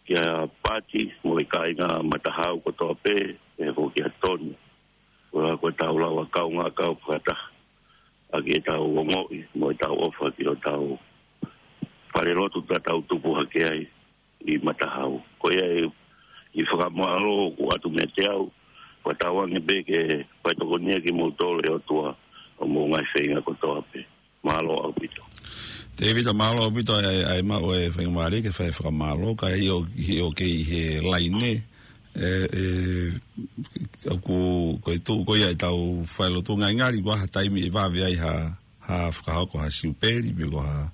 kia Pati mo e kāinga Matahau kotoa pē, pehē foki kia Toni. Koeʻuhi ko ʻetau lava kaungā kau fakataha ʻaki ʻetau ongoʻi mo ʻetau ʻofa ki hotau falelotu naʻa tau tupu hake ai ʻi Matahau. Ko ia e, e fakamālō ʻoku ʻoatu meiate au, fakatauange pē ke fai tokonia kimoutolu ʻe he ʻOtua ʻi hoʻomou ngaahi feinga kotoa pē. Mālō ʻaupito. Tēvita, mālō ʻaupito ʻa e, ʻa e maʻu e faingamālie ke fai e fakamālō, kae ʻio, ʻio kei he laine, ʻe, ʻe, ʻoku, ko e tuʻu ko ia ʻetau failotu, ngali ngali ko ha taimi ʻe vave ai ha, ha fakahoko ha siupeli, pe ko ha,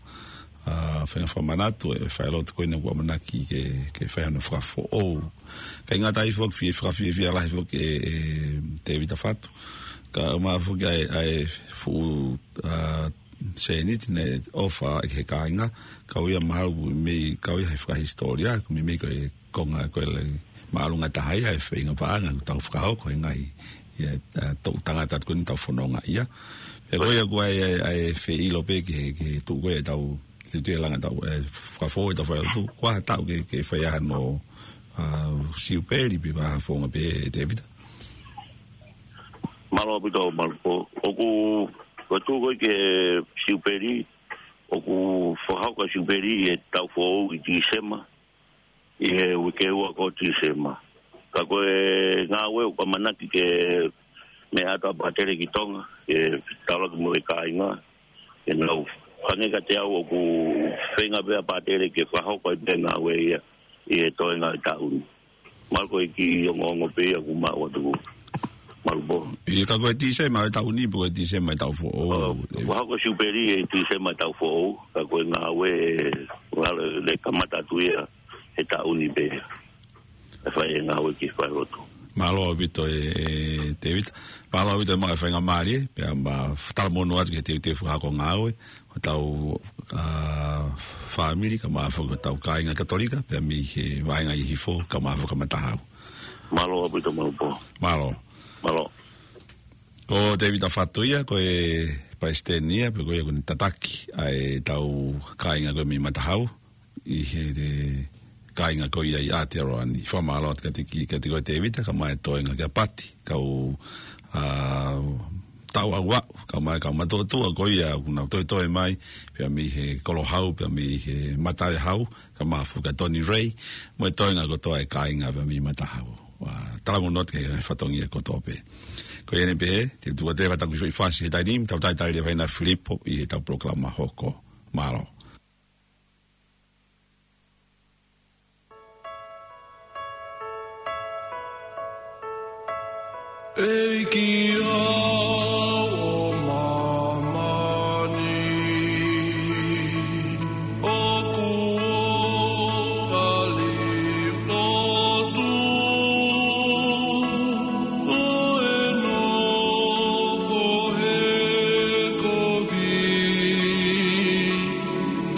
ha feinga fakamanatu, ʻe failotu ko ena ʻoku ʻamanaki ke, ke fai hano fakafoʻou. Kae ngata ai foki, fie, fakafiefia lahi foki ʻe, ʻe Tēvita Fatu. Kae ʻumaʻā foki ʻa e, ʻa e fuʻu, ʻa, sēniti naʻe ʻofa ki he kāinga, kau ia mahalo mei, kau ia he fakahisitōlia, ko e meimei ko e konga ko e lahi māʻolunga taha ia e feinga paʻanga ʻoku tau fakahoko he ngaahi, ia, ʻa, toʻu tangata atu ko eni ʻoku tau fononga ia. Pea ko ia ʻoku ʻi ai, ʻa e, ʻa e fie ʻilo pē ki he, ki he tuʻu ko ia ʻetau Te te langa tau, ē, fakafoʻou ʻetau failotu. Ko e hā e taʻu ke, ke fai ai hano, ā, siupeli pe ko e hā e founga pē, Tēvita? Mālō ʻaupito, Malupo. ʻOku, ko e tuʻu ko ē ki he siupeli, ʻoku fakahoko e siupeli ʻi he taʻu foʻou ʻi Tīsema, ʻi he uike ua ko Tīsema. Ka ko e ngāue ʻoku ʻamanaki ke meʻa atu ʻa Pātele ki Tonga, ke taulaki mo e kāinga, ke nau hangē kiate au ʻoku feinga pē ʻa Pātele ke fakahoko ai pē ngāue ia ʻi he toenga e taʻu ni. Mālō ko e kiʻi ongoongo pē ia ʻoku maʻu atu. Malupo. ʻIo, ka ko e Tīsema e taʻu ni, pe ko e Tīsema e taʻu foʻou. ʻO, fakahoko siupeli ʻi Tīsema e taʻu foʻou, ka ko e ngāue, ngāue ʻe kamata atu ia he taʻu ni pē. ʻE fai e ngāue ki he failotu. Mālō ʻaupito ē, ē, Tēvita. Mālō ʻaupito e maʻu e faingamālie, pea ma talamonū atu ki he teuteu fakahoko ngāue, hotau, ā, fāmili, kae ʻumaʻā foki hotau kāinga Katolika, pea mei he vaʻinga ʻi Hihifo, kae ʻumaʻā foki ʻa Matahau. Mālō ʻaupito, Malupo. Mālō. Mālō. Ko Tēvita Fatu ia, ko e palesiteni ia, pe ko ia ʻoku ne tataki ʻa ʻetau kāinga ko ē mei Matahau, ʻi he, he kāinga ko ia ʻi Aotearoa ni. Fakamālō atu kiate ki, kiate koe Tēvita, kae ʻumaʻā e toenga kia Pati, kau, ā, tau au au, kae ʻumaʻā e kau matuʻotuʻa ko ia, ʻoku nau toetoe mai, pea mei he Kolo Hau, pea mei he Matave Hau, kae ʻumaʻā foki ʻa Tony Ray, mo e toenga kotoa e kāinga pea mei Matahau. Ā, talamonū atu ki he fatongia kotoa pē. Ko ia eni pē, te u tuku atu e fakatapu ki Soifasi he taimi ni, tau talitali leva ʻia Filipo ʻi heʻetau polokalama hoko. Mālō. ʻEiki ʻo māmani, ʻoku ou kali lotu, ʻo e nofo he kovi,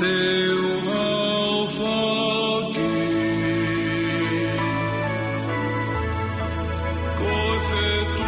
te u aofaki. Ko e fetuʻu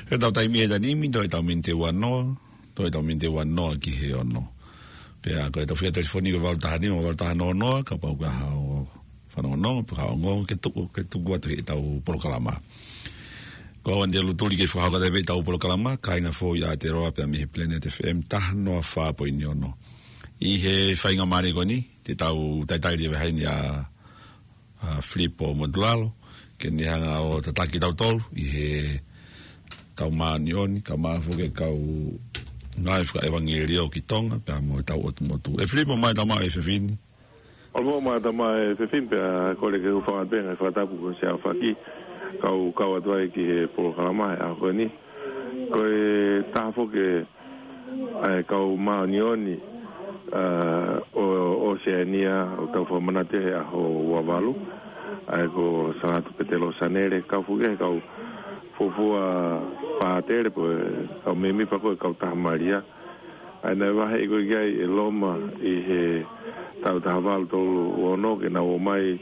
Ko ʻetau taimi he taimi ni, toe ʻetau miniti ua noa, toe ʻetau miniti ua noa ki he ono. Pea ko ʻetau fika telefoni ko e valu taha nima, valu taha noa noa, kapau ʻoku ʻi ai haʻo fanongonongo, pe haʻo ongoongo, ke tuku, ke tuku atu heʻetau polokalama. Ko au Andy Lutuli ke fakahoko atu pē ʻetau polokalama, kāinga foʻou ʻa Aotearoa pea mei he Planet F M taha noa fā poini ono. ʻI he faingamālie ko eni, te tau talitali leva heni ʻa ʻa Filipo Motulalo, ke ne hanga ʻo tataki tautolu ʻi he kau māʻoniʻoni, kau māfoke, kau ngāue fakaʻevangeliō ki Tonga, pea mo ʻetau ʻotu motu. ʻE Filipo, mai tama e fefini. Olo mai tama e fefini, pea kole ke u fakapē ngaahi fakatapu ko sia faki, kau kau atu ai ki he polokalama he ʻaho ko eni. Ko e taha foki ʻa e kau māʻoniʻoni, ʻa, ʻo ʻOseania, ʻoku tau fakamanatu he ʻaho ua valu, ʻa ia ko Sangatu Petelo Sanele, kau foki he kau fuofua pātele, pe ko e kau mēmipa ko e Kautaha Malia. ʻA ia naʻe vaheʻi ko ē ki ai ʻe Loma ʻi he taʻu taha valu tolu ono ke nau ō mai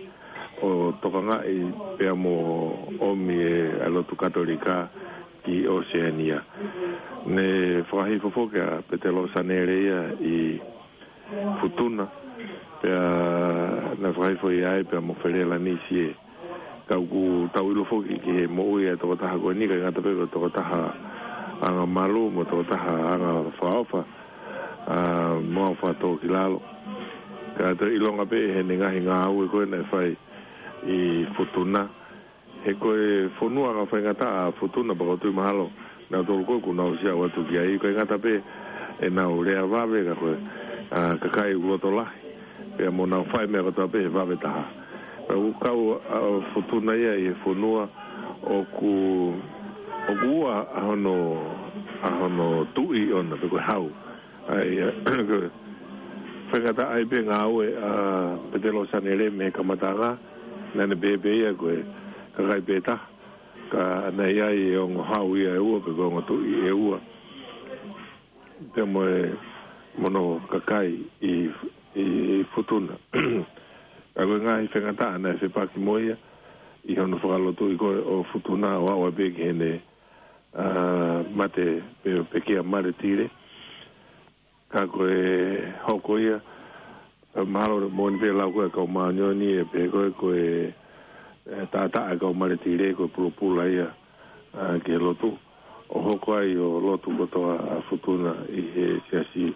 ʻo tokangaʻi pea mo ʻomi e, ʻa e lotu Katolika ki ʻOseania. Ne fakahifo foki ʻa Petelo Sanele ia ʻi Futuna, pea naʻe fakahifo ia ai pea mo Felelanisie. Ka ʻoku tau ʻilo foki ki he moʻui ʻa e tokotaha ko eni, ʻikai ngata pē ko e tokotaha anga malu mo e tokotaha anga fakaʻofa, ʻa, mo au fakatōkilalo. Ka toe ʻilonga pē heʻene ngaahi ngāue ko ē naʻe fai ʻi Futuna. He ko e fonua anga faingataʻa ʻa Futuna, pea ʻoku ou tui mahalo nautolu ko ē ʻoku nau ʻosi aʻu atu ki ai, ʻikai ngata pē ʻenau lea vave ka ko e, ʻa, kakai ʻoku loto lahi, pea mo nau fai meʻa kotoa pē he vave taha. Pea ʻoku kau ʻa Futuna ia ʻi he fonua ʻoku, ʻoku ua ʻa hono, ʻa hono tuʻi ʻoʻona pe ko e hau. ʻA ia, ko e faingataʻa ai pē ngāue ʻa Petelo Sanele mei he kamataʻanga, naʻa ne pehē pē ia ko e kakai pē taha, ka naʻe ʻi ai e ongo hau ia ʻe ua, pe ko e ongo tuʻi ʻe ua. Pea mo e, mo hono kakai ʻi, ʻi, ʻi Futuna. Ka ko e ngaahi faingataʻa naʻe fepaki mo ia, ʻi hono fakalotuʻi ko ē ʻo Futuna ʻo aʻu ai pē ki heʻene, ʻa, mate pe, pekia Maletile. Ka ko e hoko ia, ʻa, mahalo moʻoni pē lau ko ē kau māʻoniʻoni ʻe pehē ko ē ko e, ʻe, taʻataʻa e kau Maletile ko e pulopula ia, ʻa, ki he lotu. ʻO hoko ai ʻo lotu kotoa ʻa Futuna ʻi he siasi,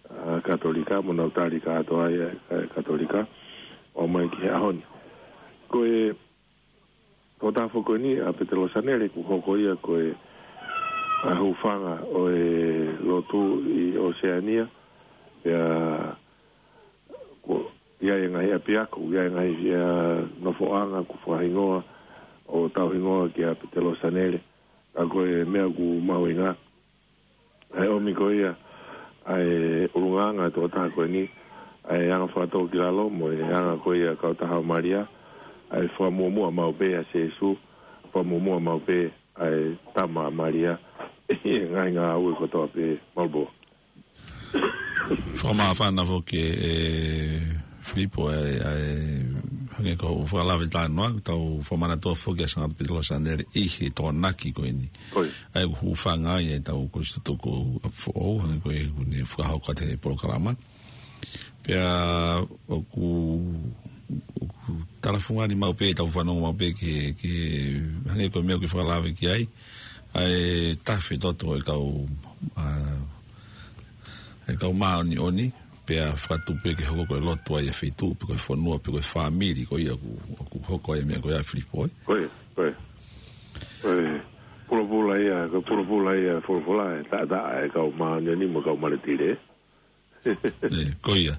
ʻa, Katolika, mo nau tali kātoa ai ʻa e Katolika, ʻo mai ki he ʻaho ni. Ko e, ko e taha foki ko eni ʻa Petelo Sanele kuo hoko ia ko e, ʻa, hūfanga ʻo e lotu ʻi ʻOseania, pea kuo ʻi ai e ngaahi ʻapiako, ʻi ai e ngaahi, ʻa, nofoʻanga kuo fakahingoa ʻo tauhingoa kia Petelo Sanele, ʻa, ko e meʻa ʻoku mahuʻinga ʻa e ʻomi ko ia ʻa e ʻulungaanga ʻa e tokotaha ko eni, ʻa e anga fakatōkilalo mo e anga ko ia Kautaha ʻo Malia, ʻa e fakamuʻomuʻa maʻu pē ʻa Sīsū, fakamuʻomuʻa maʻu pē ʻa e Tama ʻa Malia, ʻi he ngaahi ngāue kotoa pē. Malu pē. Fakamāfana foki ʻe, ʻe Filipo ʻa e, ʻa e, hangē ko hoʻo fakalave talanoa, tau fakamanatua foki ʻa Sangatu Petelo Sanele ʻi he Tokonaki ko eni. ʻOi. ʻA ia ʻoku hūfanga ai ʻetau kolisi tutuku ʻa foʻou, hangē ko ē ʻoku ne fakahoko atu he polokalama. Pea ʻoku, ʻoku talafungani maʻu pē, tau fanongo maʻu pē ke, ke hangē ko e meʻa ʻoku ke fakalave ki ai, ʻa e tafe toto e kau, ʻa, e kau māʻoniʻoni, pea fakatupu ke hoko ko e lotu ʻa e feituʻu, pe ko e fonua, pe ko e fāmili, ko ia ʻoku, ʻoku hoko ai e meʻa ko ia Filipo, ē? Ko ia, ko ia. Ko e pulopula ia, ko e pulopula ia, folofola, ʻe taʻataʻa e kau māʻoniʻoni mo e kau Maletile. ʻE, ko ia.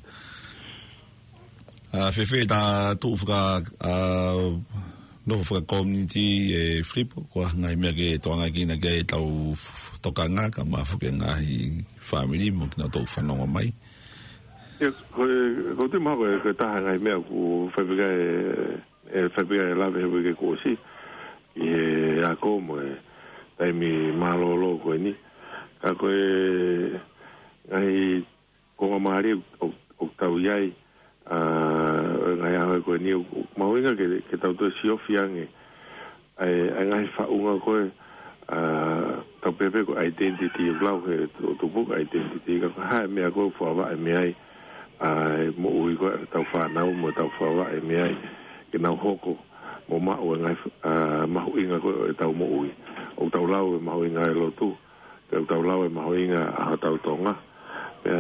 ʻA, fēfē ʻeta tuʻu faka-, ʻa, nofo fakakominiti ʻe Filipo, ko e hā e ngaahi meʻa ke tokangaʻi kinaua ki ai ʻetau f-, tokanga, kae ʻumaʻā foki e ngaahi fāmili mo kinautolu ʻoku fanongo mai. ʻIa, ko e, ʻoku ou tui mahalo ko e, ko e taha e ngaahi meʻa ʻoku fai pē ki ai e, ʻe fai pē ki ai e lave he uike kuo ʻosi, ʻi he ako mo e taimi mālōlō ko eni. Ka ko e ngaahi konga mālie ʻo, ʻoku tau ʻi ai, ʻa, ʻo e ngaahi ʻaho ko eni, ʻoku, ʻoku mahuʻinga ke, ke tau toe siofi ange ʻa e, ʻa e ngaahi faʻunga ko ē, ʻa, tau pehē pē ko e identity, ʻoku lau he tu-, tupu ko e identity, ka ko e hā e meʻa ko ē ʻoku fakavaʻe mei ai ʻa e moʻui ko ē ʻetau fānau mo ʻetau fakavaʻe mei ai ke nau hoko mo maʻu e ngaahi, ʻa, mahuʻinga ko ē ʻetau moʻui. ʻOku tau lau e mahuʻinga e lotu, pea ʻoku tau lau e mahuʻinga ʻa hotau Tonga. Pea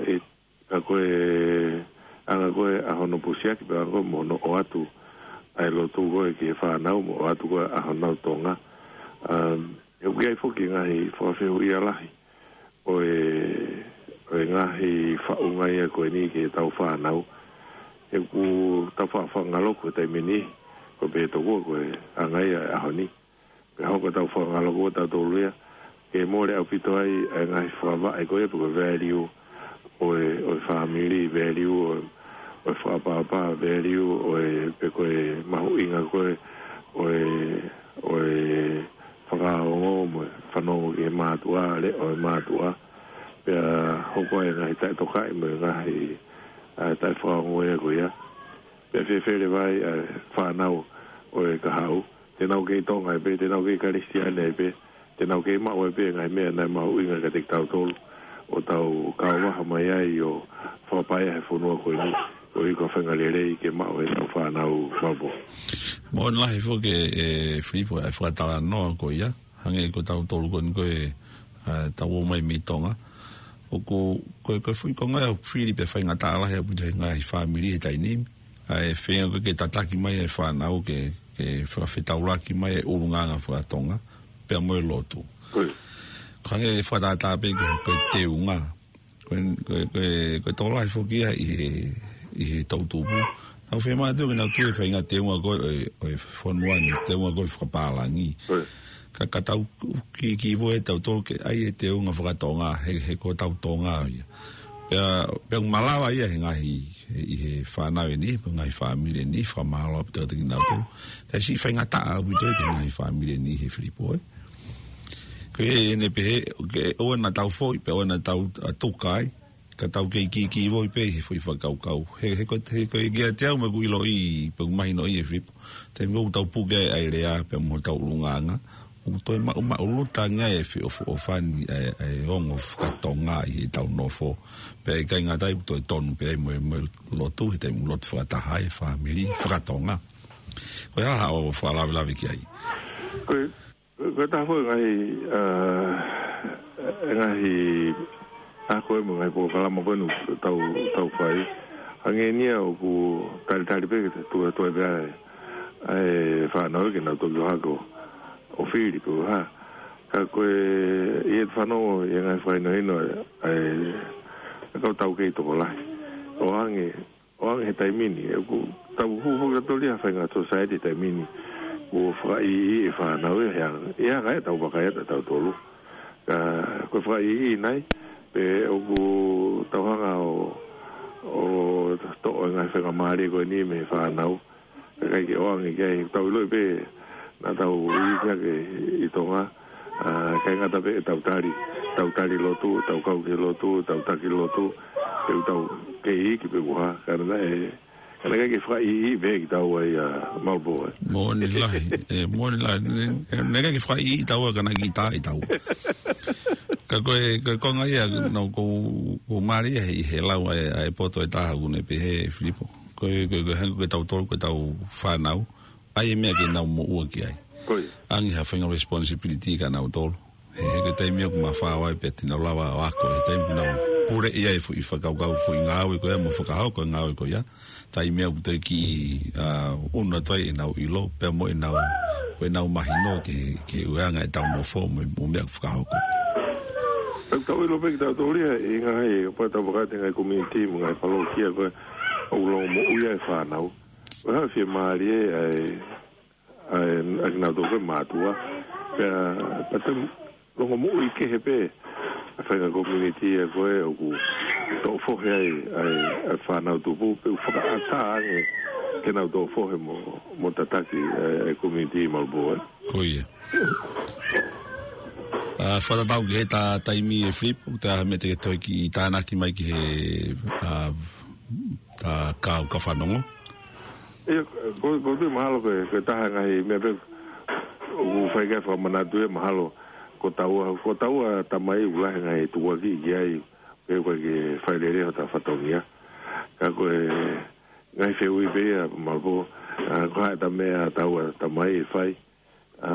ʻe, ka ko e anga ko ē ʻa hono pusiaki, pea anga ko ē mo hono ʻoatu ʻa e lotu ko ē ki he fānau mo ʻoatu ko ē ʻa honau Tonga. Um, he ʻoku ʻi ai foki e ngaahi fakafehuʻia lahi ʻo e, ʻo e ngaahi faʻunga ia ko eni ki heʻetau fānau. He ʻoku tau faʻa fakangaloku he taimi ni, ko e pehē tokua ko e anga ia e ʻaho ni. Pea hoko ʻetau fakangaloku ʻo tautolu ia, ke mole ʻaupito ai e ngaahi fakavaʻe ko ia pe ko e value ʻo e, ʻo e family, value ʻo e, ʻo e fakaʻapaʻapa, value ʻo e, pe ko e mahuʻinga ko ē ʻo e, ʻo e fakaongo mo e fanongo ki he mātuʻa, leʻo e mātuʻa. Pea hoko ai e ngaahi taʻetokaʻi mo e ngaahi, ʻa, taʻefakaongo ia ko ia. Pea fēfē leva ai ʻa e fānau ʻo e kahaʻu. Te nau kei Tonga ai pē, te nau kei Kalisitiane ai pē, te nau kei maʻu ai pē e ngaahi meʻa naʻe mahuʻinga kiate kitautolu ʻo tau kau vaha mai ai ʻo fakapaiʻi he fonua ko eni, ʻo ʻi ai ko e faʻahinga lelei ke maʻu ʻe heʻetau fānau, Malupō. Moʻoni lahi foki ē, ē, Filipo, ʻa e fakatalanoa ko ia, hangē ko tautolu ko eni ko ē, ʻa, tau ō mai mei Tonga. ʻOku, ko e, ko e foʻi konga ia ʻoku fili pea faingataʻa lahi ʻaupito he ngaahi fāmili he taimi ni. ʻA e feinga ko ē ke tataki mai e fānau ke, ke fakafetaulaki mai e ʻulungaanga faka-Tonga, pea mo e lotu. Ko ia. Ko e hangē fakatātā pē ko e, ko e teunga. Ko e, ko e, ko e, ko e tokolahi foki ia ʻi he, ʻi he toʻutupu. Nau fiemaʻu ke nau tui e faʻahinga teunga ko ē ʻo e, ʻo e fonua ni, teunga ko ē fakapālangi. Ko ia. Ka, ka tau kikivoi ʻe tautolu ke ʻai e teunga faka-Tonga, he, he ko hotau Tonga ia. Pea, pea ʻoku malava ia he ngaahi, he, ʻi he fānau ʻe niʻihi, pe ngaahi fāmili ʻe niʻihi, fakamālō ʻaupito kiate kinautolu. Ka ʻoku siʻi faingataʻa ʻaupito ia ki he ngaahi fāmili ʻe niʻihi he Filipo, ē. Ko ia ʻene pehē, ke ʻoua naʻa tau foʻi, pea ʻoua naʻa tau, ʻa, tuka ai, ka tau kei kikivoi pē he foʻi fakakaukau. He, he ko, he ko e kiate au mo ʻeku ʻiloʻi, pe ʻoku mahinoʻi ē Filipo. Taimi ʻoku tau puke ai e lea, pea mo hotau ʻulungaanga. ʻOku toe maʻu, maʻuluta ange ai e feʻofoʻofani, ʻa e, ʻa e ongo faka-Tonga ʻi heʻetau nofo. Pea ʻikai ngata ai ʻoku toe tonu pē ai mo e, mo e lotu, he taimi ʻoku lotu fakataha ai e fāmili faka-Tonga. Ko e hā haʻo fakalavelave ki ai? Ko e, ko e taha foʻi ngaahi, ʻa, e ngaahi, ʻa, ko e mo e ngaahi polokalama ko eni ʻoku tau, tau fai. Hangē ni ia ʻoku talitali pē ke tuʻu, tuʻu ai pē ʻa e, ʻa e fānau ke nau toki ō hake ʻo fili pe ko e hā. Ka ko e, ʻi heʻeku fanongo ʻi he ngaahi fakahinohino ʻa e, ʻa e kau taukei tokolahi. ʻOange, ʻoange he taimi ni, ʻoku tau hū foki ʻa tautolu ia he faʻahinga society he taimi ni. ʻOku fakaʻiʻi e fānau ia he anga, ʻi he anga ʻetau vakai atu ʻa tautolu. Ka, ko e fakaʻiʻi nai, pe ʻoku tau hanga ʻo, ʻo toʻo e ngaahi faingamālie ko eni mei he fānau. Kae ʻikai ke ʻoange ki ai, tau ʻiloʻi pē naʻa tau iiki hake ʻi Tonga, ʻa, ʻikai ngata pē ʻetau tali, tau tali lotu, tau kau ki he lotu, tau taki lotu, pe ʻoku tau kei iiki pe ko e hā, ka naʻe, ka naʻe ʻikai ke fakaʻiʻi pē kitaua ia Malupō, ē. Moʻoni lahi, ē, moʻoni lahi, naʻe, naʻe ʻikai ke fakaʻiʻi taua ka naʻe kiʻi tā ʻi taua. Ka ko e, ko e konga ia, naʻa ku, ku mālie he, he lau ʻa e, ʻa e poto ʻe taha ʻoku ne pehē Filipo. Ko e, ko e, ko e hangē ko tautolu, ko ʻetau fānau. ʻAi e meʻa ke nau moʻua ki ai. Ko ia. ʻAnge ha faʻahinga responsibility kia nautolu. He, he ko e taimi ʻoku mafao ai pē te nau lava ʻo ako. He taimi ʻoku nau puleʻi ai e foʻi fakakaukau, foʻi ngāue ko ia, mo fakahoko e ngāue ko ia. Taimi ʻoku toe kiʻi, ʻa, ʻunu atu ai ʻenau ʻilo, pea mo ʻenau, ʻenau mahino ki he, ki he ʻuhinga ʻetau nofo mo, mo e meʻa ʻoku fakahoko. Tau, tau ʻilo pē kitautolu ia, ʻi he ngaahi, ʻoku tau vakai atu he ngaahi community, mo e ngaahi palokia ko ē, ʻoku longomoʻui ai e fānau. Ko e hā e fiemālie ʻa e, ʻa e, ʻa kinautolu ko e mātuʻa. Pea, pea te longomoʻui kehe pē ʻa e faʻahinga community ia ko ē ʻoku toʻo fohe ai ʻa e, ʻa e fānau tupu, pe ʻoku fakaʻatā ange ke nau toʻo fohe mo, mo tataki ʻa e, ʻa e community Malupō, ē. Ko ia. ʻA, fakatatau ki he ta-, taimi ē Filipo, ʻoku ʻi ai ha meʻa te ke toe kiʻi tānaki mai ki he, ʻa, ta kau ka fanongo? ʻIo, ko, ko e tui mahalo ko e, ko e taha e ngaahi meʻa pē ʻOku fai ki ai fakamanatu ē mahalo ko taua, ko taua tamai ʻoku lahi e ngaahi tukuakiʻi ki ai, pe ʻoku ʻikai ke fai lelei hota fatongia. Ka ko e ngaahi fehuʻi pē ia, Malopō, ʻa, ko e hā ʻeta meʻa taua tamai ʻe fai, ʻa,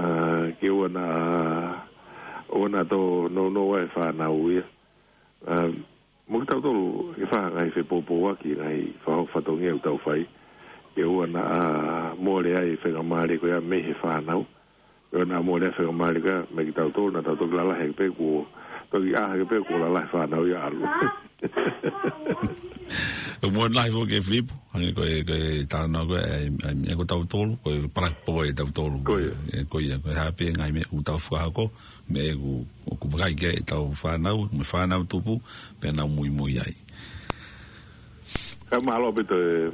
ke ʻoua naʻa, ʻoua naʻa tō nounou ai e fānau ia. ʻA, mo kitautolu ke fai ha ngaahi fepoupouaki, ngaahi fakahoko fatongia ʻoku tau fai. Ke ʻoua naʻa mole ai e faingamālie ko ia mei he fānau. Ke ʻoua naʻa mole ai e faingamālie ko ia mei kitautolu, naʻa tau toki lalahi hake pē kuo, toki ʻā hake pē kuo lalahi e fānau ia ʻalu. ʻOku mou lahi foki ē Filipo, hangē ko e, ko e talanoa ko ē, ʻa e, ʻa e, ʻa e, ko tautolu, ko e palaki pō ʻa tautolu. Ko ia. ʻE, ko ia, ko e hā pē ngaahi meʻa ʻoku tau fakahoko, meʻa ʻoku, ʻoku vakai ki ai ʻetau fānau, mo e fānau tupu, pea nau muimui ai. Ka mālō ʻaupito e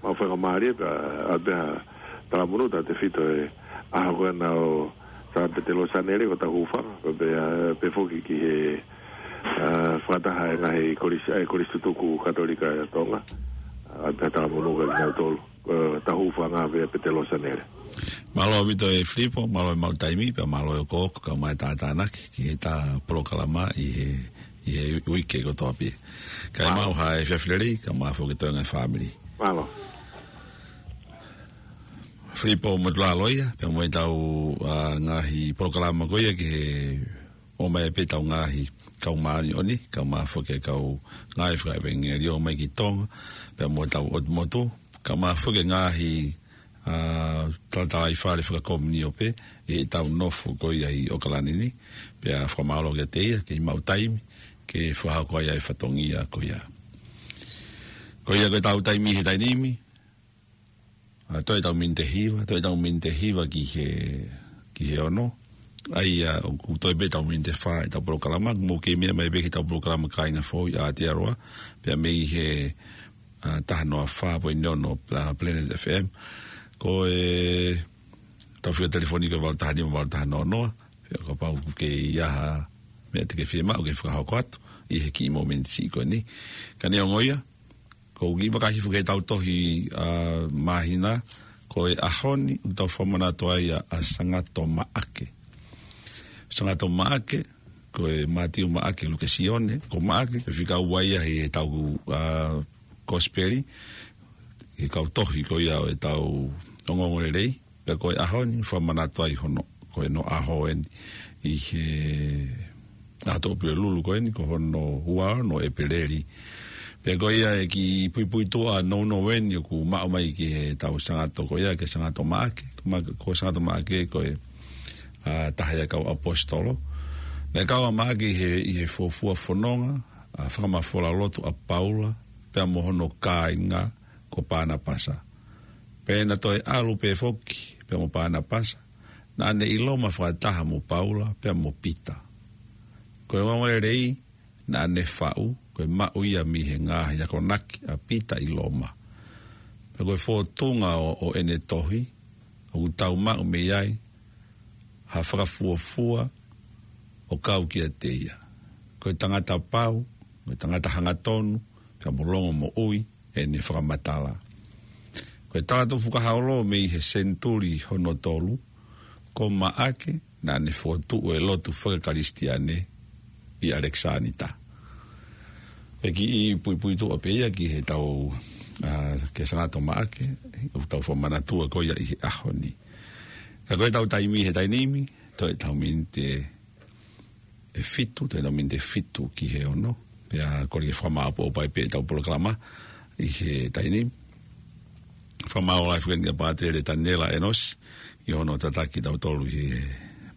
maʻu faingamālie, pea ʻoatu pē ha talamonū, tautefito he ʻaho ko ē naʻa tau, Sā Petelō Sanele ko hotau hūfanga, pea, pea, pea foki ki he, ʻa, fakataha e ngaahi kolisi, ʻa e Kolisi Tutuku Katolika ʻa Tonga. ʻOatu pē ha talamonū kia kinautolu. ʻA, hotau hūfanga pē Petelō Sanele. Mālō ʻaupito ē Filipo, mālō e maʻu taimi, pea mālō e okooko, kae ʻumaʻā e tātānaki, ki heʻeta polokalama ʻi he, ʻi he uike kotoa pē. Kae Mālō. Maʻu ha efiafi lelei, kae ʻumaʻā foki e toenga e fāmili. Mālō. Filipo Motulalo ia, pea mo ʻetau, ʻa, ngaahi polokalama ko ia ki he ʻomai pē ʻetau ngaahi kau māʻoniʻoni, kae ʻumaʻā foki e kau ngāue fakaʻevangeliō mai ki Tonga, pea mo ʻetau ʻotu motu, kae ʻumaʻā foki e ngaahi, ʻa, talatalaifale fakakomiunio pē, ʻi heʻetau nofo ko ia ʻi ʻOkalani ni, pea fakamālō kiate ia, ke maʻu taimi, ke fakahoko ai ʻa e fatongia ko ia. Ko ia ko ʻetau taimi he taimi ni, ʻa, toe ʻetau miniti ʻe hiva, toe ʻetau miniti ʻe hiva ki he, ki he ono. ʻA ia, ʻoku toe pē ʻetau miniti ʻe fā ʻetau polokalama, mou kei meʻa mai pē ki heʻetau polokalama Kāinga Foʻou ʻi Aotearoa, pea mei he, ʻa, taha noa fā poini ono, ʻa, Planet F M. Ko ʻetau fika telefoni ko e valu taha nima valu taha noa noa, pea kapau ʻoku kei ʻi ai ha meʻa te ke fiemaʻu ke fakahoko atu, ʻi he kiʻi mōmeniti ko eni. Ka neongo ia, ʻoku ou kiʻi vakai hifo ki heʻetau tohi, ʻa, māhina, ko e ʻaho ni, ʻoku tau fakamanatu ai ʻa, ʻa Sangato Maʻake. Sangato Maʻake, ko e Mātiu, Maʻake, Luke, Sione, ko Maʻake, ko e fika ua ia ʻi heʻetau, ʻa, kosipeli, ʻi he kau tohi ko ia ʻo ʻetau ongoongolelei, pea ko e ʻaho ni, fakamanatu ai hono, ko hono ʻaho eni, ʻi he ʻaho Tuʻapulelulu ko eni, ko hono ua ono ʻo ʻEpeleli. Pea ko ia e kiʻi puipuituʻa nounou eni ʻoku maʻu mai ki heʻetau Sangato ko ia, ki he Sangato Maʻake, ma-, ko e Sangato Maʻake ko e, ʻa, taha ia e kau ʻaposetolo. Naʻe kau ʻa Maʻake ʻi he, ʻi he fuofua fononga, ʻa, fakamafola lotu ʻa Paula, pea mo hono kāinga ko Panapasa. Pea naʻa toe ʻalu pē foki, pea mo Panapasa, naʻa ne ʻi Loma fakataha mo Paula, pea mo Pita. Ko e ongoongolelei, naʻa ne faʻu, ko e maʻu ia mei he ngaahi akonaki ʻa Pita ʻi Loma. Pea ko e fōtunga ʻo, ʻo ʻene tohi, ʻoku tau maʻu mei ai, ha fakafuofua ʻo kau kiate ia. Ko e tangata pau, ko e tangata hangatonu, pea mo longomoʻui, ʻene fakamatala. Ko e talatuʻu fukahaolo mei he senituli hono tolu, ko Maʻake naʻa ne fokotuʻu e lotu fakakalisitiane ʻi ʻAlekisānita. Ko e kiʻi puipuituʻa pē ia ki heʻetau, ʻa, ki he Sangato Maʻake, ʻoku tau fakamanatua ko ia ʻi he ʻaho ni. Ka ko ʻetau taimi he taimi ni, toe ʻetau miniti ʻe fitu, toe ʻetau miniti ʻe fitu ki he ono. Pea kole ke fakamāʻopoʻopo ai pē ʻetau polokalama ʻi he taimi ni. Fakamālō lahi foki eni kia Pātele Taniela ʻEnosi, ʻi hono tataki kitautolu ʻi he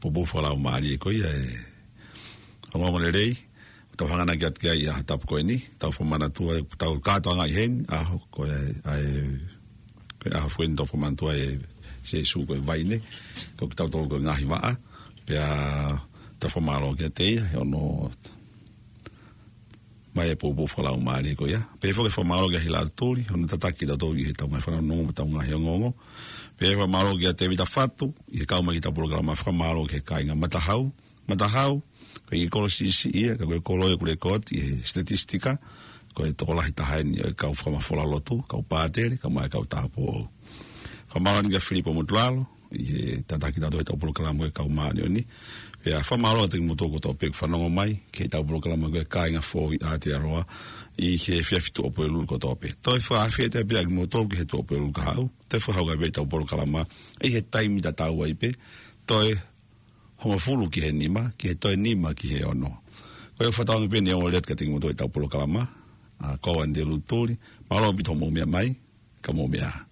poupou fakalaumālie ko ia ʻa e ongoongolelei. Tau hanganaki atu ki ai ʻi he ʻaho tapu ko eni, tau fakamanatua, tau kātoanga ʻi heni, ʻaho ko e, ʻa e, ko e ʻaho foki eni tau fakamanatua ʻa Sīsū ko e vaine, ko kitautolu ko e ngaahi vaʻa, pea tau fakamālō kiate ia, he hono ʻomai e poupou fakalaumālie ko ia. Pea foki fakamālō kia Hila Tuli, hono tataki kitautolu ʻi heʻetau ngaahi fanongonongo mo ʻetau ngaahi ongoongo. Pea fakamālō kia Tēvita Fatu, ʻi he kau mai ki heʻetau polokalama, fakamālō ki he kāinga Matahau, Matahau, ko e kiʻi kolo siʻisiʻi ia, ka ko e kolo ʻoku lekooti ʻi he statistika, ko e tokolahi taha eni ʻo e kau fakamafola lotu, kau pātele, kae ʻumaʻā e kau tāupoʻou. Fakamālō eni kia Filipo Motulalo, ʻi he tataki tautolu ʻetau polokalama ko e Kau Māʻoniʻoni. Pea fakamālō atu kiate kimoutolu kotoa pē ʻoku fanongo mai ki heʻetau polokalama ko e Kāinga Foʻou ʻi Aotearoa ʻi he efiafi Tuʻapulelulu kotoa pē. Toe fakaafe atu pē ʻa kimoutolu ki he Tuʻapulelulu kahaʻu. Toe fakahoko pē ʻetau polokalama ʻi he taimi tatau ai pē. Toe hongofulu ki he nima, ki he toe nima ki he ono. Ko ia ʻoku fakatauange pē ʻeni ʻo lea atu kiate kimoutolu ʻetau polokalama, ʻa, ko Andelutuli, mālō ʻaupito hoʻomou meʻa mai, ka mou meʻa.